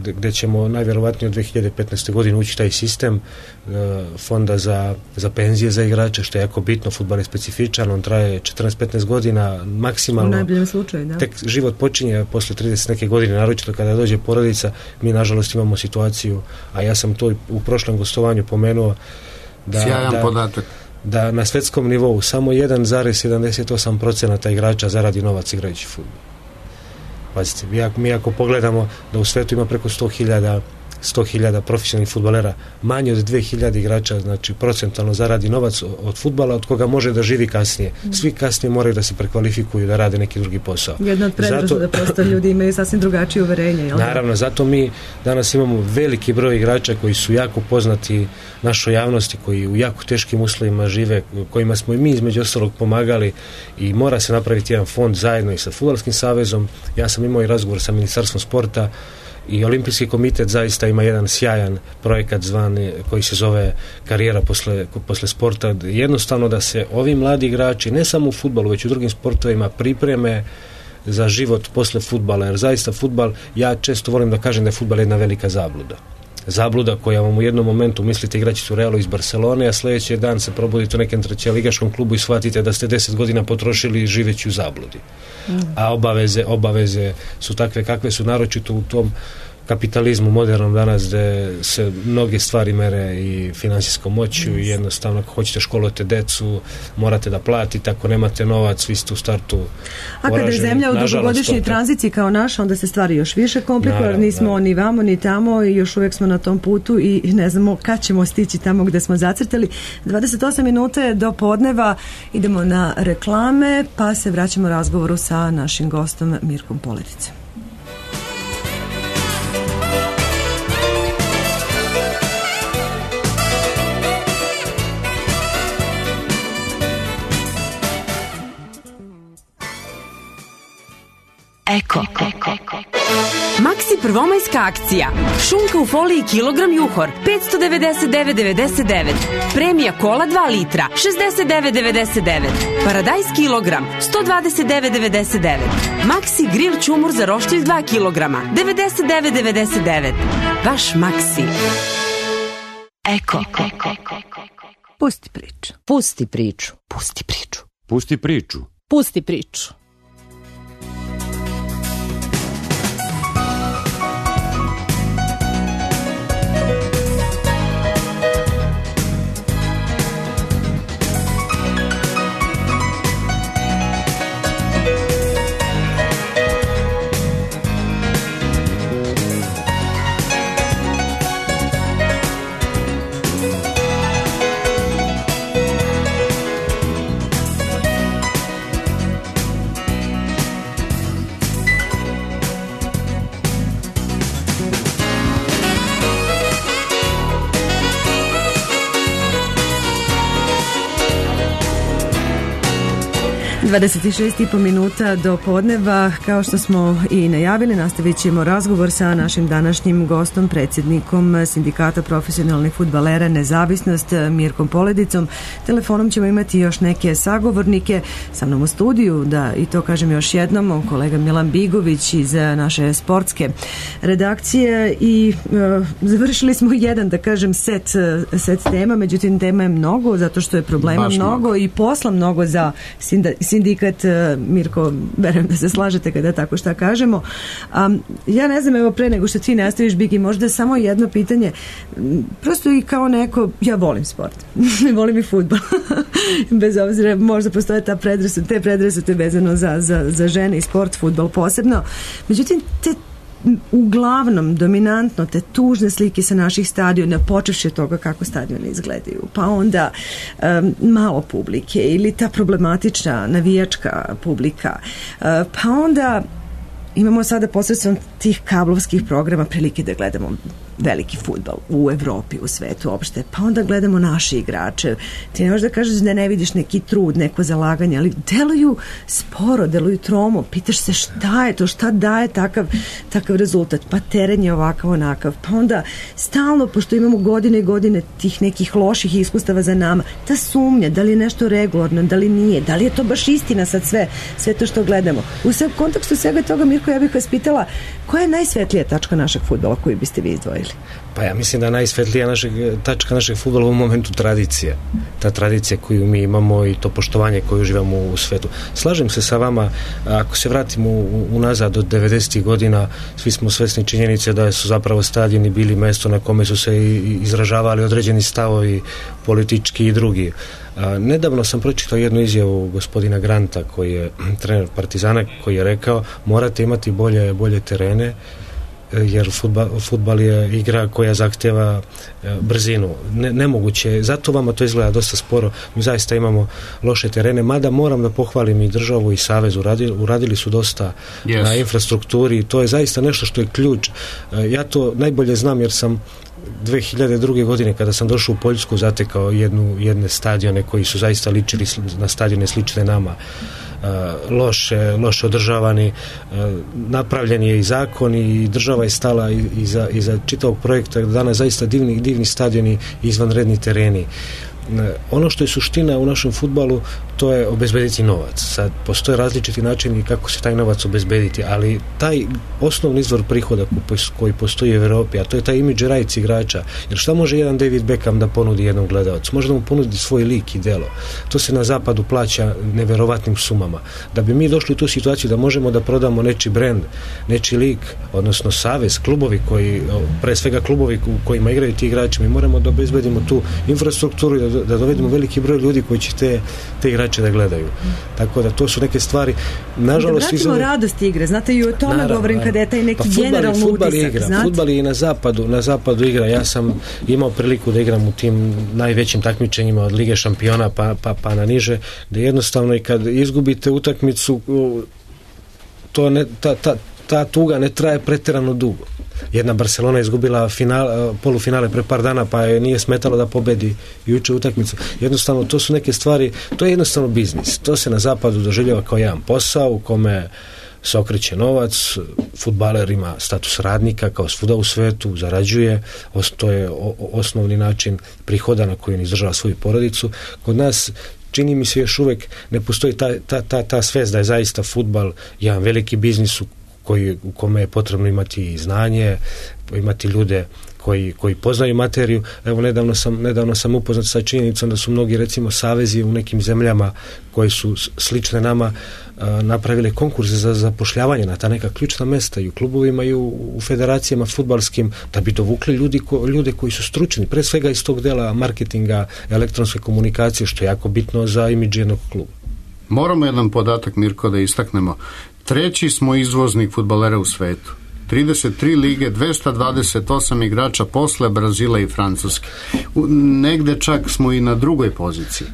Speaker 6: gde ćemo najvjerovatnije od 2015. godine ući taj sistem fonda za penzije za igrače, što je jako bitno. Fudbal je specifičan, on traje 14-15 godina maksimalno.
Speaker 5: U najboljem slučaju, da.
Speaker 6: Tek život počinje posle 30 neke godine, naročito kada dođe porodica. Mi nažalost imamo situaciju, a ja sam to u prošlom gostovanju pomenuo,
Speaker 7: podatak.
Speaker 6: Da na svetskom nivou samo 1,78% igrača zaradi novac igrajući fudbal. Pazite, mi ako pogledamo da u svetu ima preko 100.000 profesionalnih fudbalera, manje od 2.000 igrača, znači procentualno zaradi novac od fudbala od koga može da živi kasnije. Svi kasnije moraju da se prekvalifikuju, da rade neki drugi posao.
Speaker 5: Jedna od predrasuda da prosto ljudi imaju sasvim drugačije uverenje. Jel?
Speaker 6: Naravno, zato mi danas imamo veliki broj igrača koji su jako poznati našoj javnosti, koji u jako teškim uslovima žive, kojima smo i mi između ostalog pomagali, i mora se napraviti jedan fond zajedno i sa Fudbalskim savezom. Ja sam imao i razgovor sa Ministarstvom sporta I Olimpijski komitet zaista ima jedan sjajan projekat zvani, koji se zove karijera posle sporta. Jednostavno da se ovi mladi igrači, ne samo u fudbalu, već u drugim sportovima, pripreme za život posle fudbala, jer zaista fudbal, ja često volim da kažem da je fudbal jedna velika zabluda koja vam u jednom momentu mislite igraći u Realu iz Barcelone, a sljedeći dan se probudite u nekem trećeligaškom klubu i shvatite da ste 10 godina potrošili živeći u zabludi. A obaveze su takve kakve su, naročito u tom kapitalizmu modernom danas, gde se mnoge stvari mere i finansijskom moću i jednostavno ako hoćete školovati decu morate da platite, ako nemate novac vi ste u startu
Speaker 5: a kada je zemlja u dugogodišnjoj tranziciji kao naša, onda se stvari još više komplikuju, nismo ni vamo ni tamo i još uvijek smo na tom putu i ne znamo kad ćemo stići tamo gde smo zacrtali. 28 minuta je do podneva, idemo na reklame pa se vraćamo razgovoru sa našim gostom Mirkom Poledicom.
Speaker 8: Eko. Maxi prvomajska akcija. Šunka u foliji kilogram juhor 599,99. Premija kola 2 litra 69,99. Paradajz kilogram 129,99. Maxi grill čumur za roštilj 2 kilograma 99,99. Vaš Maxi. Eko.
Speaker 5: Pusti priču.
Speaker 4: Pusti priču.
Speaker 8: Pusti priču.
Speaker 1: Pusti priču.
Speaker 2: Pusti priču.
Speaker 5: i po minuta do podneva. Kao što smo i najavili, nastavit ćemo razgovor sa našim današnjim gostom, predsjednikom Sindikata profesionalnih fudbalera Nezavisnost, Mirkom Poledicom. Telefonom ćemo imati još neke sagovornike sa mnom u studiju, da i to kažem još jednom, kolega Milan Bigović iz naše sportske redakcije i završili smo jedan, da kažem, set tema, međutim tema je mnogo, zato što je problema mnogo i posla mnogo za sindikat. Mirko, verujem da se slažete kada tako šta kažemo. Ja ne znam, evo pre nego što ti nastaviš, Bigi, možda samo jedno pitanje, prosto i kao neko, ja volim sport, volim i fudbal, bez obzira, možda postoje te predrasude vezano za žene i sport, fudbal posebno, međutim, uglavnom, dominantno, te tužne slike sa naših stadiona, počevši od toga kako stadioni izgledaju, pa onda malo publike ili ta problematična navijačka publika, pa onda imamo sada posredstvom tih kablovskih programa prilike da gledamo veliki fudbal u Evropi, u svetu uopšte, pa onda gledamo naše igrače. Ti ne možeš da kažeš da ne vidiš neki trud, neko zalaganje, ali deluju sporo, deluju tromo, pitaš se šta je to, šta daje takav rezultat, pa teren je ovakav, onakav, pa onda stalno, pošto imamo godine i godine tih nekih loših iskustava za nama, ta sumnja, da li je nešto regularno, da li nije, da li je to baš istina sad sve to što gledamo. U kontekstu svega toga, Mirko, ja bih vas pitala, koja je najsvetlija tačka našeg fudbala koju biste vi izdvojili?
Speaker 6: Pa ja mislim da najsvetlija tačka našeg fudbala u momentu tradicija. Ta tradicija koju mi imamo i to poštovanje koje uživamo u svetu. Slažem se sa vama, ako se vratimo unazad od 90. godina, svi smo svesni činjenice da su zapravo stadioni bili mesto na kome su se izražavali određeni stavovi politički i drugi. Nedavno sam pročitao jednu izjavu gospodina Granta, koji je trener Partizana, koji je rekao morate imati bolje terene, jer fudbal je igra koja zahtjeva brzinu. Nemoguće, zato vama to izgleda dosta sporo. Mi zaista imamo loše terene, mada moram da pohvalim i državu i savez, uradili su dosta na infrastrukturi i to je zaista nešto što je ključ. Ja to najbolje znam jer sam 2002. godine kada sam došao u Poljsku zatekao jedne stadione koji su zaista ličili na stadione slične nama. loše održavani. Napravljen je i zakon i država je stala iza čitavog projekta. Danas zaista divni stadioni i izvanredni tereni. Ono što je suština u našem fudbalu, to je obezbediti novac. Sad postoje različiti načini kako se taj novac obezbediti, ali taj osnovni izvor prihoda koji postoji u Evropi, a to je taj imidž rights igrača. Jer šta može jedan David Beckham da ponudi jednom gledalcu? Može da mu ponudi svoj lik i delo. To se na zapadu plaća neverovatnim sumama. Da bi mi došli u tu situaciju da možemo da prodamo nečiji brend, nečiji lik, odnosno savez, klubovi koji, pre svega klubovi u kojima igraju ti igrači, mi moramo da obezbedimo tu infrastrukturu i da dovedemo veliki broj ljudi koji će te igrače da gledaju. Tako da to su neke stvari. Nažalost,
Speaker 5: da vratimo radost igre. Znate, i o tome govorim kada je taj neki generalni utisak.
Speaker 6: Fudbal je i na zapadu igra. Ja sam imao priliku da igram u tim najvećim takmičenjima od Lige šampiona pa na niže, da jednostavno i kad izgubite utakmicu, ta tuga ne traje pretjerano dugo. Jedna Barcelona je izgubila polufinale pre par dana, pa je nije smetalo da pobedi juče utakmicu. Jednostavno, to su neke stvari, to je jednostavno biznis. To se na zapadu doživljava kao jedan posao u kome se okreće novac, fudbaler ima status radnika kao svuda u svetu, zarađuje, to je osnovni način prihoda na koji on izdržava svoju porodicu. Kod nas čini mi se još uvek ne postoji ta svest da je zaista fudbal jedan veliki biznis u kome je potrebno imati znanje, imati ljude koji poznaju materiju. Evo, nedavno sam upoznat sa činjenicom da su mnogi, recimo, savezi u nekim zemljama koje su slične nama napravile konkurse za zapošljavanje na ta neka ključna mesta i u klubovima i u federacijama fudbalskim, da bi dovukli ljude koji su stručni, pre svega iz tog dela marketinga, elektronske komunikacije, što je jako bitno za imidž jednog kluba.
Speaker 7: Moramo jedan podatak, Mirko, da istaknemo. 3. smo izvoznik fudbalera u svetu. 33 lige, 228 igrača posle Brazila i Francuske. Negde čak smo i na drugoj poziciji.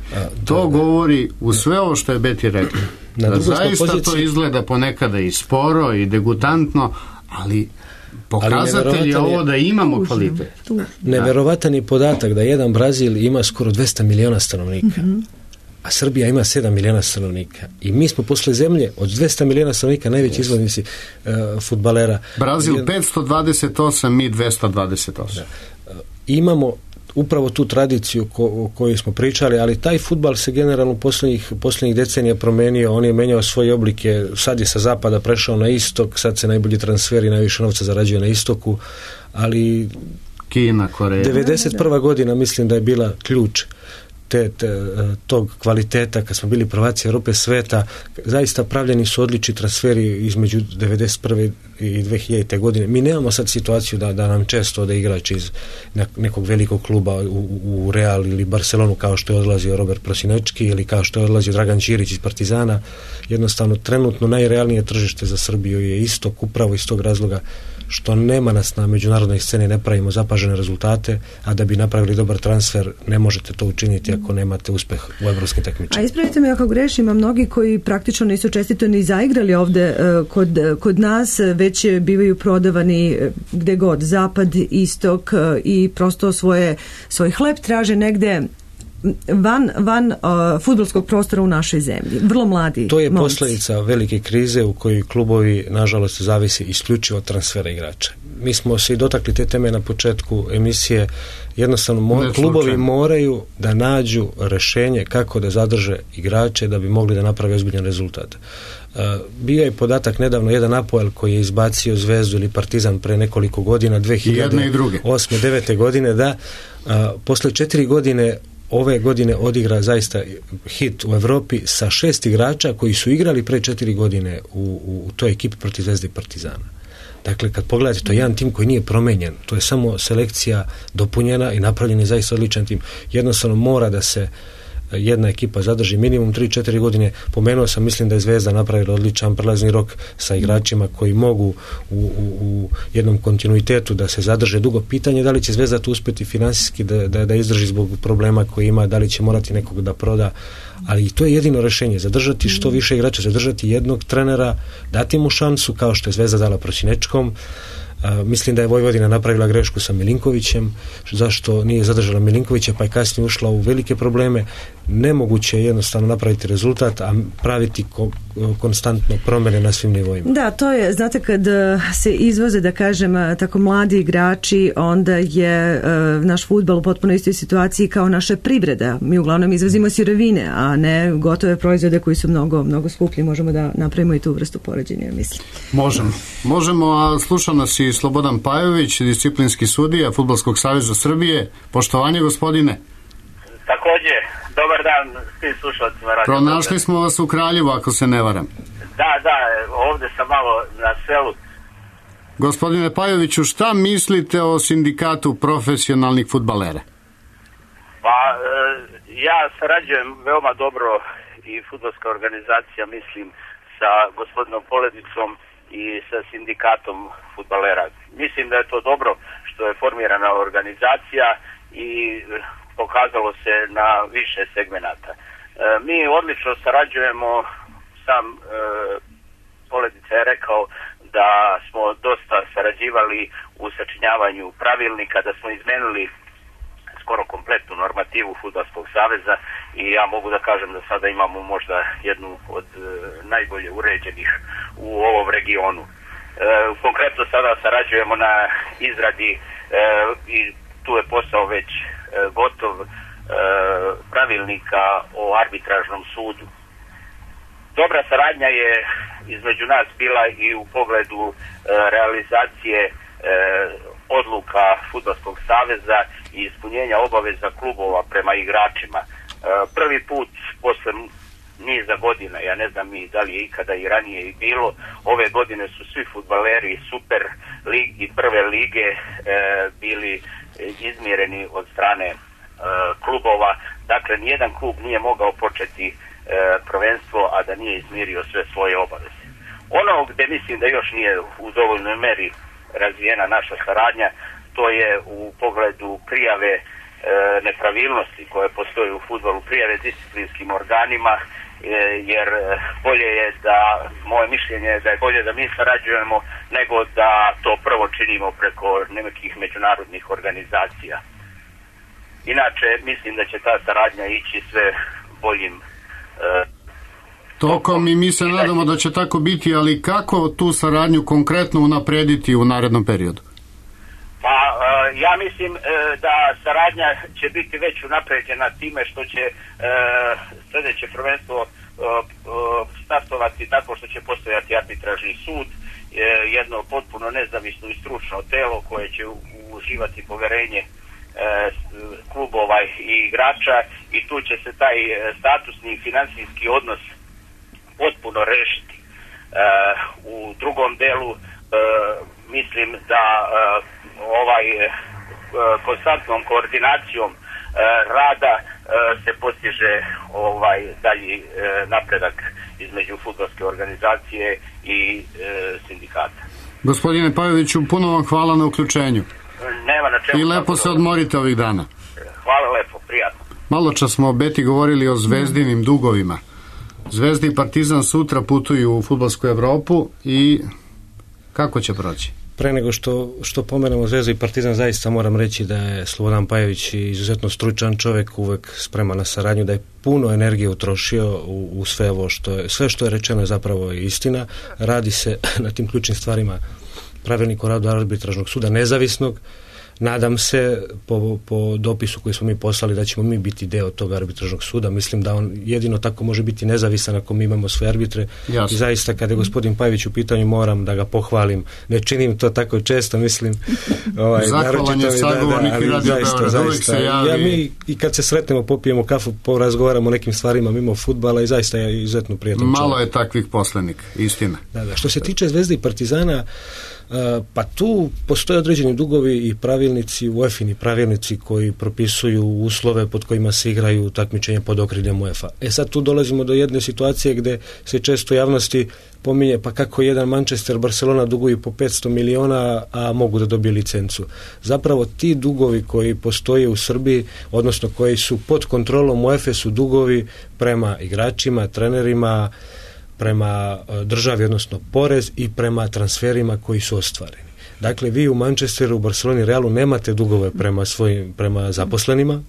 Speaker 7: To govori u sve ovo što je Beti rekao. Da zaista to izgleda ponekada i sporo i degutantno, ali pokazatelj je ovo da imamo kvalitet.
Speaker 6: Neverovatan je podatak da jedan Brazil ima skoro 200 miliona stanovnika. A Srbija ima 7 miliona stanovnika. I mi smo posle zemlje od 200 miliona stanovnika najveći izvoznici fudbalera.
Speaker 7: Brazil 528, mi 228.
Speaker 6: Da. Imamo upravo tu tradiciju o kojoj smo pričali, ali taj fudbal se generalno posljednjih decenija promenio, on je menjao svoje oblike, sad je sa zapada prešao na istok, sad se najbolji transferi, najviše novca zarađuje na istoku, ali
Speaker 7: Kina, Koreja.
Speaker 6: 91. godina mislim da je bila ključ tog kvaliteta, kad smo bili prvaci Europe, sveta. Zaista pravljeni su odlični transferi između 91. i 2000. godine. Mi nemamo sad situaciju da nam često ode igrač iz nekog velikog kluba u Real ili Barcelonu, kao što je odlazio Robert Prosinečki ili kao što je odlazio Dragan Ćirić iz Partizana. Jednostavno, trenutno najrealnije tržište za Srbiju je istok, upravo iz tog razloga što nema nas na međunarodnoj sceni, ne pravimo zapažene rezultate, a da bi napravili dobar transfer ne možete to učiniti ako nemate uspeh u evropskim takmičenjima.
Speaker 5: A ispravite me ako grešim, a mnogi koji praktično nisu čestito ni zaigrali ovde kod nas, već bivaju prodavani gde god, zapad, istok, i prosto svoj hleb traže negde van fudbalskog prostora u našoj zemlji. Vrlo mladi
Speaker 6: To je
Speaker 5: momci.
Speaker 6: posljedica velike krize u kojoj klubovi, nažalost, zavisi isključivo od transfera igrača. Mi smo se i dotakli te teme na početku emisije. Jednostavno, klubovi moraju da nađu rešenje kako da zadrže igrače da bi mogli da naprave ozbiljan rezultat. Bio je podatak nedavno, jedan Apoel koji je izbacio Zvezdu ili Partizan pre nekoliko godina, 2008. 2009. godine, da posle 4 godine ove godine odigra zaista hit u Evropi sa 6 igrača koji su igrali pre 4 godine u toj ekipi protiv Zvezde i Partizana. Dakle, kad pogledate, to je jedan tim koji nije promenjen, to je samo selekcija dopunjena i napravljen je zaista odličan tim. Jednostavno mora da se jedna ekipa zadrži minimum 3-4 godine. Pomenuo sam, mislim da je Zvezda napravila odličan prelazni rok sa igračima koji mogu u jednom kontinuitetu da se zadrže dugo. Pitanje da li će Zvezda tu uspjeti finansijski da izdrži zbog problema koje ima, da li će morati nekog da proda, ali to je jedino rešenje, zadržati što više igrača, zadržati jednog trenera, dati mu šansu kao što je Zvezda dala Prosinečkom. Mislim da je Vojvodina napravila grešku sa Milinkovićem, zašto nije zadržala Milinkovića pa je kasnije ušla u velike probleme. nemoguće je jednostavno napraviti rezultat, a praviti konstantno promjene na svim nivoima.
Speaker 5: Da, to je, znate, kad se izvoze, da kažem, tako mladi igrači, onda je naš fudbal u potpuno istoj situaciji kao naša privreda. Mi uglavnom izvozimo sirovine, a ne gotove proizvode koji su mnogo skuplji. Možemo da napravimo i tu vrstu poređenja, mislim.
Speaker 7: Možemo, a sluša nas i Slobodan Pajović, disciplinski sudija Fudbalskog saveza Srbije. Poštovanje, gospodine.
Speaker 9: Takođe, dobar dan svim slušalcima.
Speaker 7: Pronašli smo vas u Kraljevu, ako se ne varam.
Speaker 9: Da, ovde sam malo na selu.
Speaker 7: Gospodine Pajoviću, šta mislite o sindikatu profesionalnih fudbalera?
Speaker 9: Pa, ja sarađujem veoma dobro i fudbalska organizacija, mislim, sa gospodinom Poledicom i sa sindikatom fudbalera. Mislim da je to dobro što je formirana organizacija i pokazalo se na više segmenata. Mi odlično sarađujemo, sam Poledica je rekao da smo dosta sarađivali u sačinjavanju pravilnika, da smo izmenili skoro kompletnu normativu Fudbalskog saveza i ja mogu da kažem da sada imamo možda jednu od najbolje uređenih u ovom regionu. Konkretno sada sarađujemo na izradi i tu je posao već gotov pravilnika o arbitražnom sudu. Dobra saradnja je između nas bila i u pogledu realizacije odluka Fudbalskog saveza i ispunjenja obaveza klubova prema igračima. Prvi put posle niza godina, ja ne znam i da li je ikada i ranije i bilo, ove godine su svi fudbaleri Super ligi i prve lige bili izmjereni od strane klubova. Dakle, nijedan klub nije mogao početi prvenstvo, a da nije izmirio sve svoje obaveze. Ono gde mislim da još nije u dovoljnoj meri razvijena naša saradnja, to je u pogledu prijave nepravilnosti koje postoje u fudbalu, prijave disciplinskim organima, jer bolje je da, moje mišljenje je da je bolje da mi sarađujemo nego da to prvo činimo preko nekih međunarodnih organizacija. Inače, mislim da će ta saradnja ići sve boljim
Speaker 7: tokom i mi se nadamo da će tako biti, ali kako tu saradnju konkretno unaprediti u narednom periodu?
Speaker 9: Pa, ja mislim da saradnja će biti već unapređena time što će sljedeće prvenstvo startovati tako što će postojati arbitražni sud, jedno potpuno nezavisno i stručno telo koje će uživati poverenje klubova i igrača i tu će se taj statusni i financijski odnos potpuno rešiti. U drugom delu mislim da konstantnom koordinacijom rada se postiže dalji napredak između fudbalske organizacije i sindikata.
Speaker 7: Gospodine Pajoviću, puno vam hvala na uključenju.
Speaker 9: Nema na čemu.
Speaker 7: I lepo se odmorite ovih dana.
Speaker 9: Hvala lepo, prijatno.
Speaker 7: Malo čas smo o Beti govorili o zvezdinim dugovima. Zvezda i Partizan sutra putuju u fudbalsku Evropu i kako će proći?
Speaker 6: Pre nego što pomenemo Zvezdu i Partizan, zaista moram reći da je Slobodan Pajović izuzetno stručan čovjek, uvek spreman na saradnju, da je puno energije utrošio u sve ovo sve što je rečeno je zapravo istina. Radi se na tim ključnim stvarima pravilnik o radu arbitražnog suda nezavisnog. Nadam se po dopisu koji smo mi poslali da ćemo mi biti deo tog arbitražnog suda. Mislim da on jedino tako može biti nezavisan ako mi imamo sve arbitre.
Speaker 7: Jasne.
Speaker 6: I zaista kada je gospodin Pajović u pitanju moram da ga pohvalim. Ne činim to tako često, mislim.
Speaker 7: Zahvalan je sagovornik i Radio Beograd, uvijek se javi.
Speaker 6: Mi i kad se sretnemo, popijemo kafu, porazgovaramo o nekim stvarima mimo fudbala i zaista je izuzetno prijatan čovjek.
Speaker 7: Malo je takvih poslenika, istina.
Speaker 6: Da. Što se tiče Zvezde i Partizana, pa tu postoje određeni dugovi i pravilnici, UEFA-ini pravilnici koji propisuju uslove pod kojima se igraju takmičenja pod okriljem UEFA. Sad tu dolazimo do jedne situacije gde se često javnosti pominje pa kako jedan Manchester, Barcelona duguju po 500 miliona, a mogu da dobiju licencu. Zapravo ti dugovi koji postoje u Srbiji, odnosno koji su pod kontrolom UEFA su dugovi prema igračima, trenerima, prema državi, odnosno porez i prema transferima koji su ostvareni. Dakle, vi u Manchesteru, u Barceloni, Realu nemate dugove prema zaposlenima.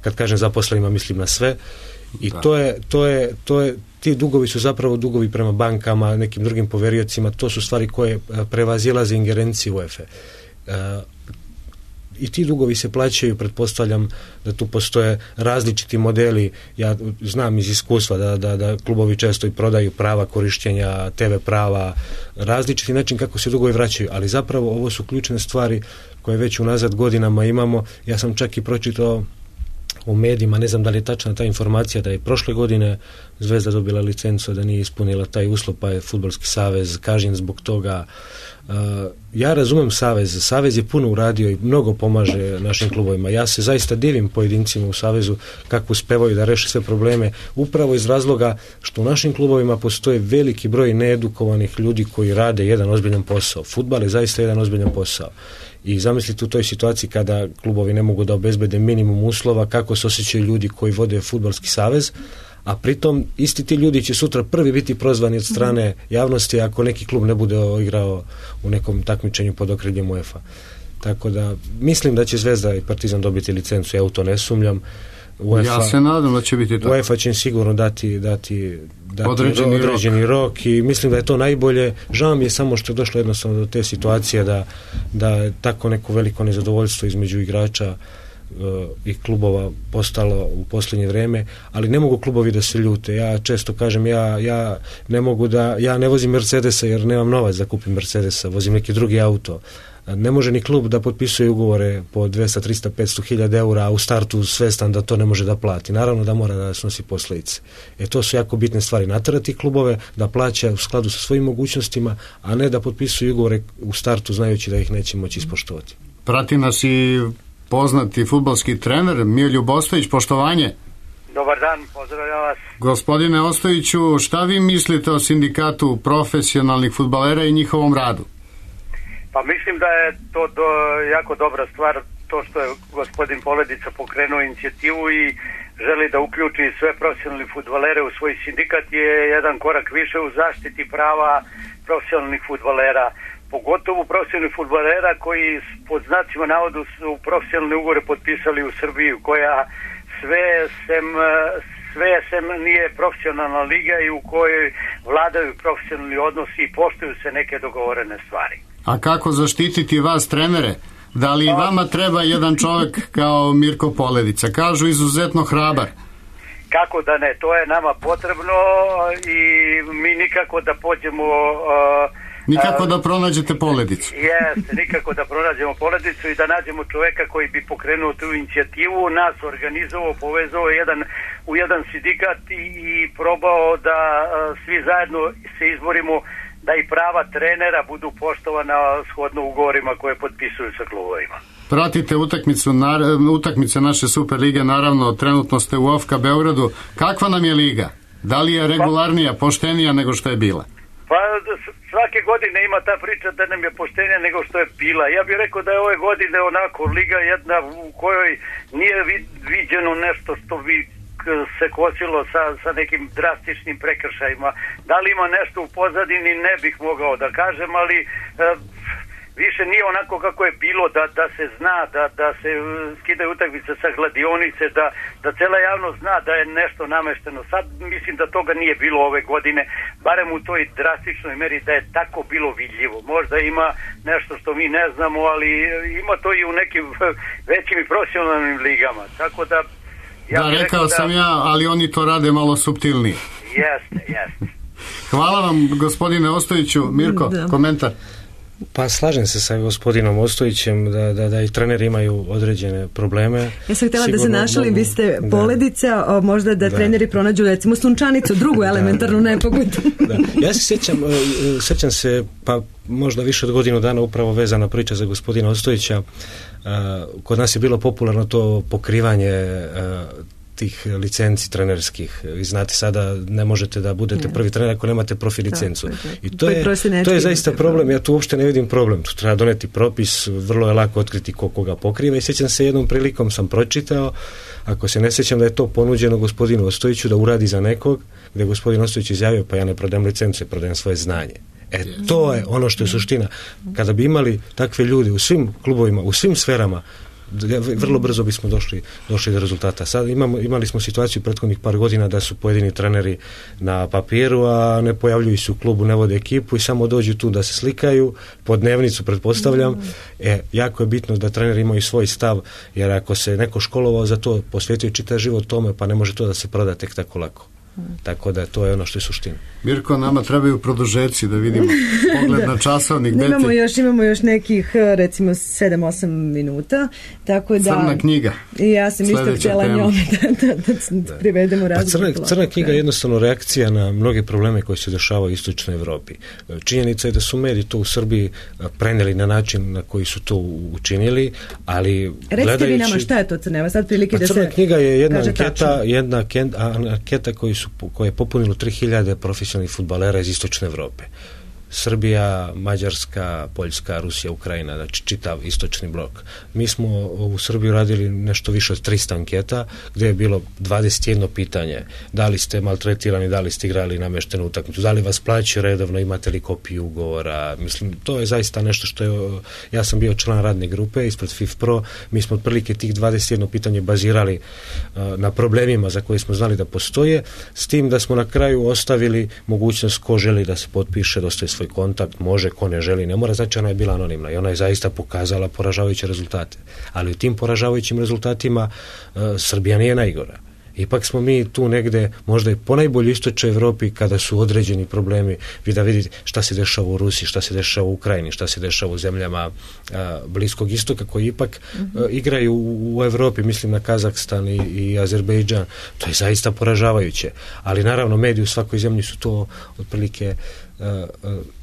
Speaker 6: Kad kažem zaposlenima, mislim na sve. I to je ti dugovi su zapravo dugovi prema bankama, nekim drugim poveriocima, to su stvari koje prevazilaze ingerencije UEFA. I ti dugovi se plaćaju, pretpostavljam da tu postoje različiti modeli. Ja znam iz iskustva da klubovi često i prodaju prava korištenja, TV prava, različiti način kako se dugovi vraćaju, ali zapravo ovo su ključne stvari koje već unazad godinama imamo. Ja sam čak i pročitao u medijima, ne znam da li je tačna ta informacija, da je prošle godine Zvezda dobila licencu, da nije ispunila taj uslov, pa je Fudbalski savez kažnjen zbog toga. Ja razumem Savez je puno uradio i mnogo pomaže našim klubovima. Ja se zaista divim pojedincima u Savezu kako uspevaju da reše sve probleme, upravo iz razloga što u našim klubovima postoji veliki broj needukovanih ljudi koji rade jedan ozbiljan posao. Fudbal je zaista jedan ozbiljan posao. I zamislite u toj situaciji kada klubovi ne mogu da obezbede minimum uslova, kako se osjećaju ljudi koji vode Fudbalski savez, a pritom isti ti ljudi će sutra prvi biti prozvani od strane javnosti ako neki klub ne bude igrao u nekom takmičenju pod okriljem UEFA. Tako da mislim da će Zvezda i Partizan dobiti licencu, ja u to ne sumnjam. UEFA,
Speaker 7: ja se nadam da će biti tako.
Speaker 6: UEFA će im sigurno dati određeni rok i mislim da je to najbolje. Žao mi je samo što je došlo jednostavno do te situacije da je tako neko veliko nezadovoljstvo između igrača i klubova postalo u posljednje vrijeme, ali ne mogu klubovi da se ljute. Ja često kažem, ja ne vozim Mercedesa jer nemam novac da kupim Mercedesa, vozim neki drugi auto. Ne može ni klub da potpisuje ugovore po 200, 300, 500 hiljada eura, a u startu svestan da to ne može da plati. Naravno da mora da snosi posljedice. To su jako bitne stvari. Naterati klubove da plaća u skladu sa svojim mogućnostima, a ne da potpisuju ugovore u startu znajući da ih neće moći ispoštovati.
Speaker 7: Prati nas i poznati fudbalski trener Miljub Ostojić, poštovanje.
Speaker 10: Dobar dan, pozdravljam vas.
Speaker 7: Gospodine Ostojiću, šta vi mislite o sindikatu profesionalnih fudbalera i njihovom radu?
Speaker 10: Pa mislim da je to jako dobra stvar, to što je gospodin Poledica pokrenuo inicijativu i želi da uključi sve profesionalne fudbalere u svoj sindikat je jedan korak više u zaštiti prava profesionalnih fudbalera. Pogotovo profesionalnih fudbalera koji pod znacima navodu su profesionalne ugovore potpisali u Srbiji, koja sve sem nije profesionalna liga i u kojoj vladaju profesionalni odnosi i poštuju se neke dogovorene stvari.
Speaker 7: A kako zaštititi vas, trenere? Da li vama treba jedan čovjek kao Mirko Poledica? Kažu izuzetno hrabar.
Speaker 10: Kako da ne, to je nama potrebno i mi nikako da pođemo...
Speaker 7: Nikako da pronađete Poledicu.
Speaker 10: Jeste, nikako da pronađemo Poledicu i da nađemo čoveka koji bi pokrenuo tu inicijativu, nas organizovao, povezao u jedan sindikat i probao da svi zajedno se izborimo da i prava trenera budu poštovana shodno ugovorima koje potpisuju sa klubovima.
Speaker 7: Pratite utakmice naše Super lige, naravno, trenutno ste u OFK Beogradu. Kakva nam je liga? Da li je regularnija, poštenija nego što je bila?
Speaker 10: Pa svake godine ima ta priča da nam je poštenija nego što je bila. Ja bih rekao da je ove godine onako liga jedna u kojoj nije viđeno nešto što bi se kosilo sa nekim drastičnim prekršajima. Da li ima nešto u pozadini, ne bih mogao da kažem, ali više nije onako kako je bilo da se zna, da se skidaju utakmice sa kladionice, da cela javnost zna da je nešto namešteno. Sad mislim da toga nije bilo ove godine, barem u toj drastičnoj meri da je tako bilo vidljivo. Možda ima nešto što mi ne znamo, ali ima to i u nekim većim i profesionalnim ligama. Tako da
Speaker 7: rekao sam ja, ali oni to rade malo suptilnije.
Speaker 10: Jeste.
Speaker 7: Hvala vam, gospodine Ostojiću. Mirko, komentar?
Speaker 6: Pa slažem se sa gospodinom Ostojićem da i treneri imaju određene probleme. Ja sam htjela da se našalim, vi ste Poledica, možda da treneri pronađu recimo sunčanicu, drugu elementarnu nepogodu. Ja se sjećam se, pa možda više od godinu dana upravo vezana priča za gospodina Ostojića. Kod nas je bilo popularno to pokrivanje tih licenci trenerskih. Vi znate sada ne možete da budete prvi trener ako nemate profi licencu. I to je zaista problem. Ja tu uopšte ne vidim problem. Tu treba doneti propis, vrlo je lako otkriti koga pokriva i sjećam se jednom prilikom sam pročitao, ako se ne sjećam da je to ponuđeno gospodinu Ostojiću da uradi za nekog, gdje je gospodin Ostojić izjavio pa ja ne prodajem licencu, ja prodajem svoje znanje. To je ono što je suština. Kada bi imali takve ljude u svim klubovima, u svim sferama, vrlo brzo bismo došli do rezultata. Sad imali smo situaciju prethodnih par godina da su pojedini treneri na papiru, a ne pojavljuju se u klubu, ne vode ekipu i samo dođu tu da se slikaju, po dnevnicu pretpostavljam. Jako je bitno da treneri imaju svoj stav, jer ako se neko školovao za to, posvetio čitav život tome, pa ne može to da se proda tek tako lako. Tako da to je ono što je suština.
Speaker 7: Mirko, nama trebaju produžeci da vidimo pogled na časovnik.
Speaker 5: Imamo još nekih recimo 7-8 minuta, tako da
Speaker 7: Crna knjiga.
Speaker 5: I ja sam isto htjela njome da privedemo razgovor.
Speaker 6: Crna knjiga je jednostavno reakcija na mnoge probleme koji se dešavaju u istočnoj Evropi. Činjenica je da su mediji to u Srbiji preneli na način na koji su to učinili, ali
Speaker 5: recite vi nama šta je to Crna? Sad prilike da se
Speaker 6: Crna knjiga je jedna anketa koje je popunilo 3000 profesionalnih fudbalera iz istočne Evrope. Srbija, Mađarska, Poljska, Rusija, Ukrajina, znači čitav istočni blok. Mi smo u Srbiji radili nešto više od 300 anketa, gdje je bilo 21 pitanje. Da li ste maltretirani, da li ste igrali nameštenu utakmicu, da li vas plaćaju redovno, imate li kopiju ugovora. Mislim, to je zaista nešto što je... Ja sam bio član radne grupe ispred FIFPro, mi smo otprilike tih 21 pitanje bazirali na problemima za koje smo znali da postoje, s tim da smo na kraju ostavili mogućnost ko želi da se potpiše, dostaje svoj kontakt, može, ko ne želi, ne mora, znači ona je bila anonimna i ona je zaista pokazala poražavajuće rezultate. Ali u tim poražavajućim rezultatima Srbija nije najgora. Ipak smo mi tu negde, možda i ponajbolje istočnoj Evropi kada su određeni problemi, vi da vidite šta se dešava u Rusiji, šta se dešava u Ukrajini, šta se dešava u zemljama Bliskog istoka koji ipak igraju u Evropi, mislim na Kazahstan i Azerbejdžan. To je zaista poražavajuće. Ali naravno mediji u svakoj zemlji su to otprilike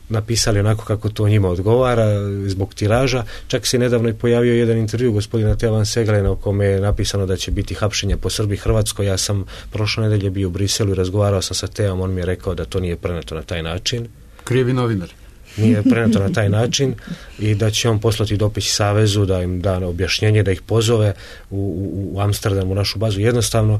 Speaker 6: napisali onako kako to njima odgovara zbog tiraža. Čak se nedavno i pojavio jedan intervju gospodina Teo Van Seglena u kome je napisano da će biti hapšenja po Srbiji i Hrvatskoj. Ja sam prošle nedelje bio u Briselu i razgovarao sam sa Teom, on mi je rekao da to nije preneto na taj način.
Speaker 7: Krivi novinar.
Speaker 6: Nije preneto na taj način i da će on poslati dopis Savezu da im da objašnjenje, da ih pozove u Amsterdam u našu bazu. Jednostavno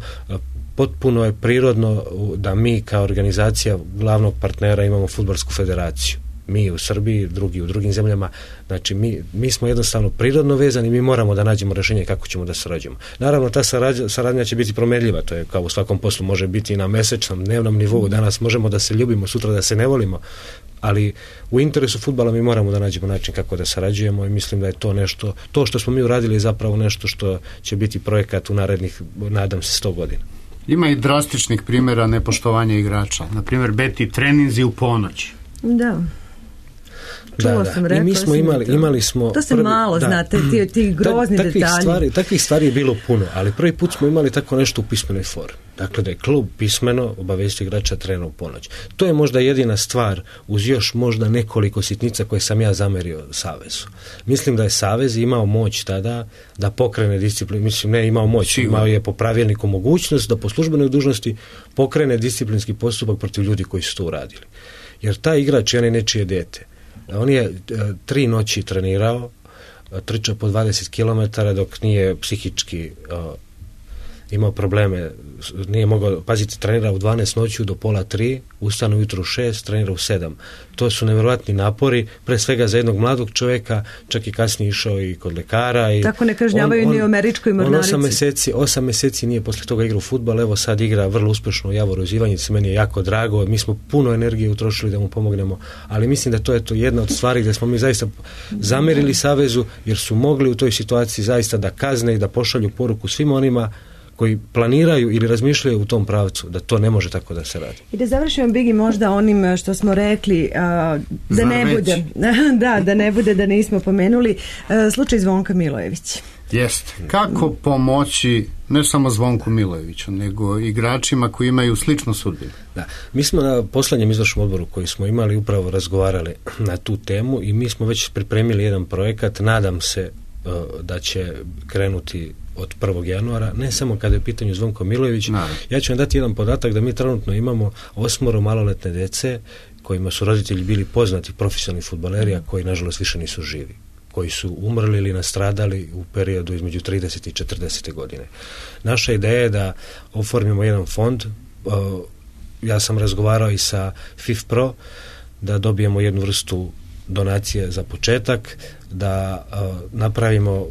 Speaker 6: potpuno je prirodno da mi kao organizacija glavnog partnera imamo fudbalsku federaciju. Mi u Srbiji, drugi u drugim zemljama, znači mi smo jednostavno prirodno vezani, mi moramo da nađemo rješenje kako ćemo da sarađujemo. Naravno, ta saradnja će biti promjenljiva, to je kao u svakom poslu, može biti i na mesečnom, dnevnom nivou, danas možemo da se ljubimo, sutra da se ne volimo, ali u interesu fudbala mi moramo da nađemo način kako da sarađujemo i mislim da je to nešto, to što smo mi uradili je zapravo nešto što će biti projekat u narednih, nadam se, 100 godina.
Speaker 7: Ima i drastičnih primjera nepoštovanja igrača. Na primjer, beti treninzi u ponoć.
Speaker 5: Da. Čula sam, rekla.
Speaker 6: I mi smo imali smo...
Speaker 5: To se malo, znate, ti grozni detalji.
Speaker 6: Takvih stvari je bilo puno, ali prvi put smo imali tako nešto u pismenoj formi. Dakle, da je klub pismeno obavestio igrača trena u ponoć. To je možda jedina stvar, uz još možda nekoliko sitnica koje sam ja zamerio Savezu. Mislim da je Savez imao moć tada da pokrene disciplinu, mislim ne imao moć, imao je po pravilniku mogućnost da po službenoj dužnosti pokrene disciplinski postupak protiv ljudi koji su to uradili. Jer taj igrač je nečije dete. On je 3 noći trenirao, trčao po 20 km dok nije psihički imao probleme, nije mogao, pazite, trenira u 12 noću do pola 3, ustane ujutro u 6, trenira u 7. To su nevjerojatni napori, pre svega za jednog mladog čovjeka, čak i kasnije išao i kod lekara.
Speaker 5: Tako ne kažnjavaju ni u američkoj mornarici.
Speaker 6: 8 mjeseci nije posle toga igrao fudbal, evo sad igra vrlo uspješno u Javoru iz Ivanjice, meni je jako drago, mi smo puno energije utrošili da mu pomognemo, ali mislim da to je to jedna od stvari gdje smo mi zaista zamerili Savezu, jer su mogli u toj situaciji zaista da kazne i da pošalju poruku svim onima koji planiraju ili razmišljaju u tom pravcu, da to ne može tako da se radi.
Speaker 5: I da završimo, Bigi, možda onim što smo rekli, da ne bude, da ne bude da nismo pomenuli, slučaj Zvonka Milojević.
Speaker 7: Jeste. Kako pomoći ne samo Zvonku Milojeviću, nego igračima koji imaju sličnu sudbinu?
Speaker 6: Da. Mi smo na posljednjem izvršnom odboru koji smo imali upravo razgovarali na tu temu i mi smo već pripremili jedan projekat, nadam se da će krenuti od 1. januara, ne samo kada je pitanju Zvonko Milojević. Ja ću vam dati jedan podatak da mi trenutno imamo 8 maloletne dece kojima su roditelji bili poznati profesionalni fudbaleri, a koji nažalost više nisu živi, koji su umrli ili nastradali u periodu između 30 i 40 godine. Naša ideja je da oformimo jedan fond, ja sam razgovarao i sa FIFPro, da dobijemo jednu vrstu donacije za početak, da napravimo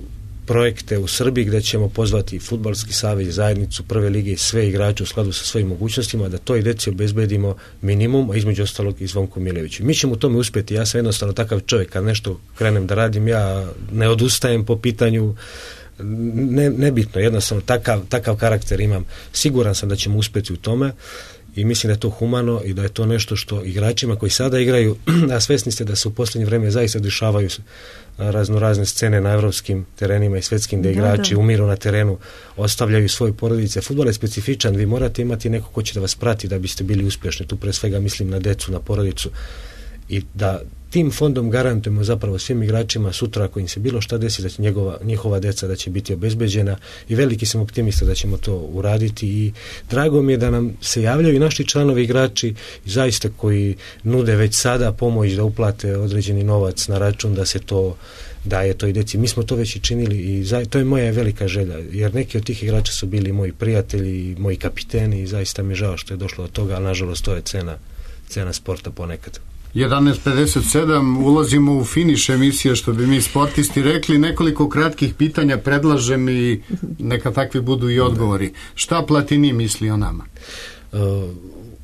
Speaker 6: projekte u Srbiji gdje ćemo pozvati Fudbalski savez, zajednicu prve lige i sve igrače u skladu sa svojim mogućnostima da toj deci obezbedimo minimum, a između ostalog i Zvonku Mileviću. Mi ćemo u tome uspjeti. Ja sam jednostavno takav čovjek, kad nešto krenem da radim, ja ne odustajem po pitanju, nebitno, jednostavno takav karakter imam. Siguran sam da ćemo uspjeti u tome i mislim da je to humano i da je to nešto što igračima koji sada igraju, a svjesni ste da se u posljednje vrijeme zaista dešavaju razne scene na evropskim terenima i svjetskim gdje igrači umiru na terenu, ostavljaju svoje porodice. Fudbal je specifičan, vi morate imati neko ko će da vas prati da biste bili uspješni. Tu pre svega mislim na decu, na porodicu, i da tim fondom garantujemo zapravo svim igračima sutra ako im se bilo šta desi da će njihova deca da će biti obezbeđena, i veliki sam optimista da ćemo to uraditi i drago mi je da nam se javljaju i naši članovi igrači zaista koji nude već sada pomoć da uplate određeni novac na račun da se to daje toj deci. Mi smo to već i činili i to je moja velika želja, jer neki od tih igrača su bili moji prijatelji, moji kapiteni i zaista mi je žao što je došlo do toga, ali nažalost to je cena sporta ponekad.
Speaker 7: 11:57, ulazimo u finiš emisije, što bi mi sportisti rekli. Nekoliko kratkih pitanja predlažem i neka takvi budu i odgovori. Šta Platini misli o nama?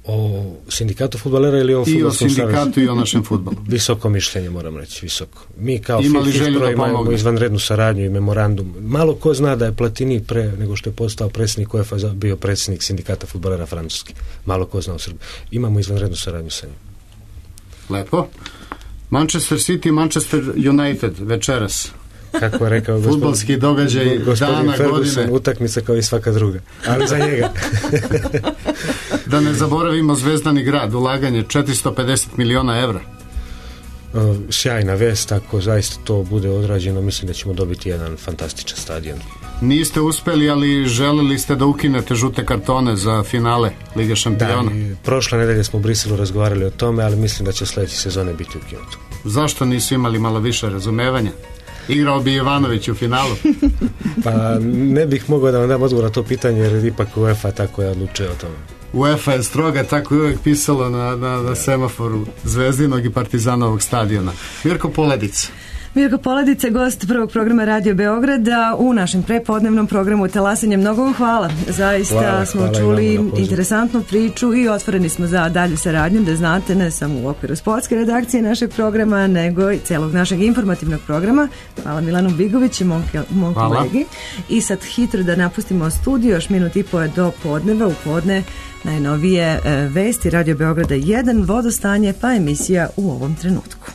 Speaker 6: O sindikatu fudbalera ili o
Speaker 7: fudbalskom savezu? I o sindikatu i o našem fudbalu.
Speaker 6: Visoko mišljenje, moram reći, visoko. Mi kao FIFPro imamo izvanrednu saradnju i memorandum. Malo ko zna da je Platini pre nego što je postao predsjednik UEFA bio predsjednik sindikata fudbalera Francuske. Malo ko zna u Srbiji. Imamo izvanrednu saradnju sa njim.
Speaker 7: Lepo. Manchester City, Manchester United večeras.
Speaker 6: Kako je rekao
Speaker 7: fudbalski događaj dana godine.
Speaker 6: Utakmica kao i svaka druga, ali za njega.
Speaker 7: Da ne zaboravimo Zvezdani grad, ulaganje 450 miliona evra.
Speaker 6: Sjajna vest, ako zaista to bude odrađeno, mislim da ćemo dobiti jedan fantastičan stadion.
Speaker 7: Niste uspeli, ali želeli ste da ukinete žute kartone za finale Lige šampiona.
Speaker 6: Da, prošle nedelje smo u Briselu razgovarali o tome, ali mislim da će sljedeće sezone biti ukinuto.
Speaker 7: Zašto nisu imali malo više razumevanja? Igrao bi Ivanović u finalu.
Speaker 6: Pa ne bih mogao da vam dam odgovor na to pitanje, jer ipak UEFA tako je odlučio o tome.
Speaker 7: UEFA je stroga, tako je uvijek pisalo na semaforu Zvezdinog i Partizanovog stadiona. Mirko Poledica,
Speaker 5: gost prvog programa Radio Beograda u našem prepodnevnom programu Talasanje. Mnogo vam hvala. Zaista smo čuli interesantnu priču i otvoreni smo za dalju saradnju, da znate, ne samo u okviru sportske redakcije našeg programa, nego i celog našeg informativnog programa. Hvala Milanu Bigoviću, mom kolegi. I sad hitro da napustimo studio, još minut i po je do podneva, u podne najnovije vesti Radio Beograda 1, vodostanje, pa emisija u ovom trenutku.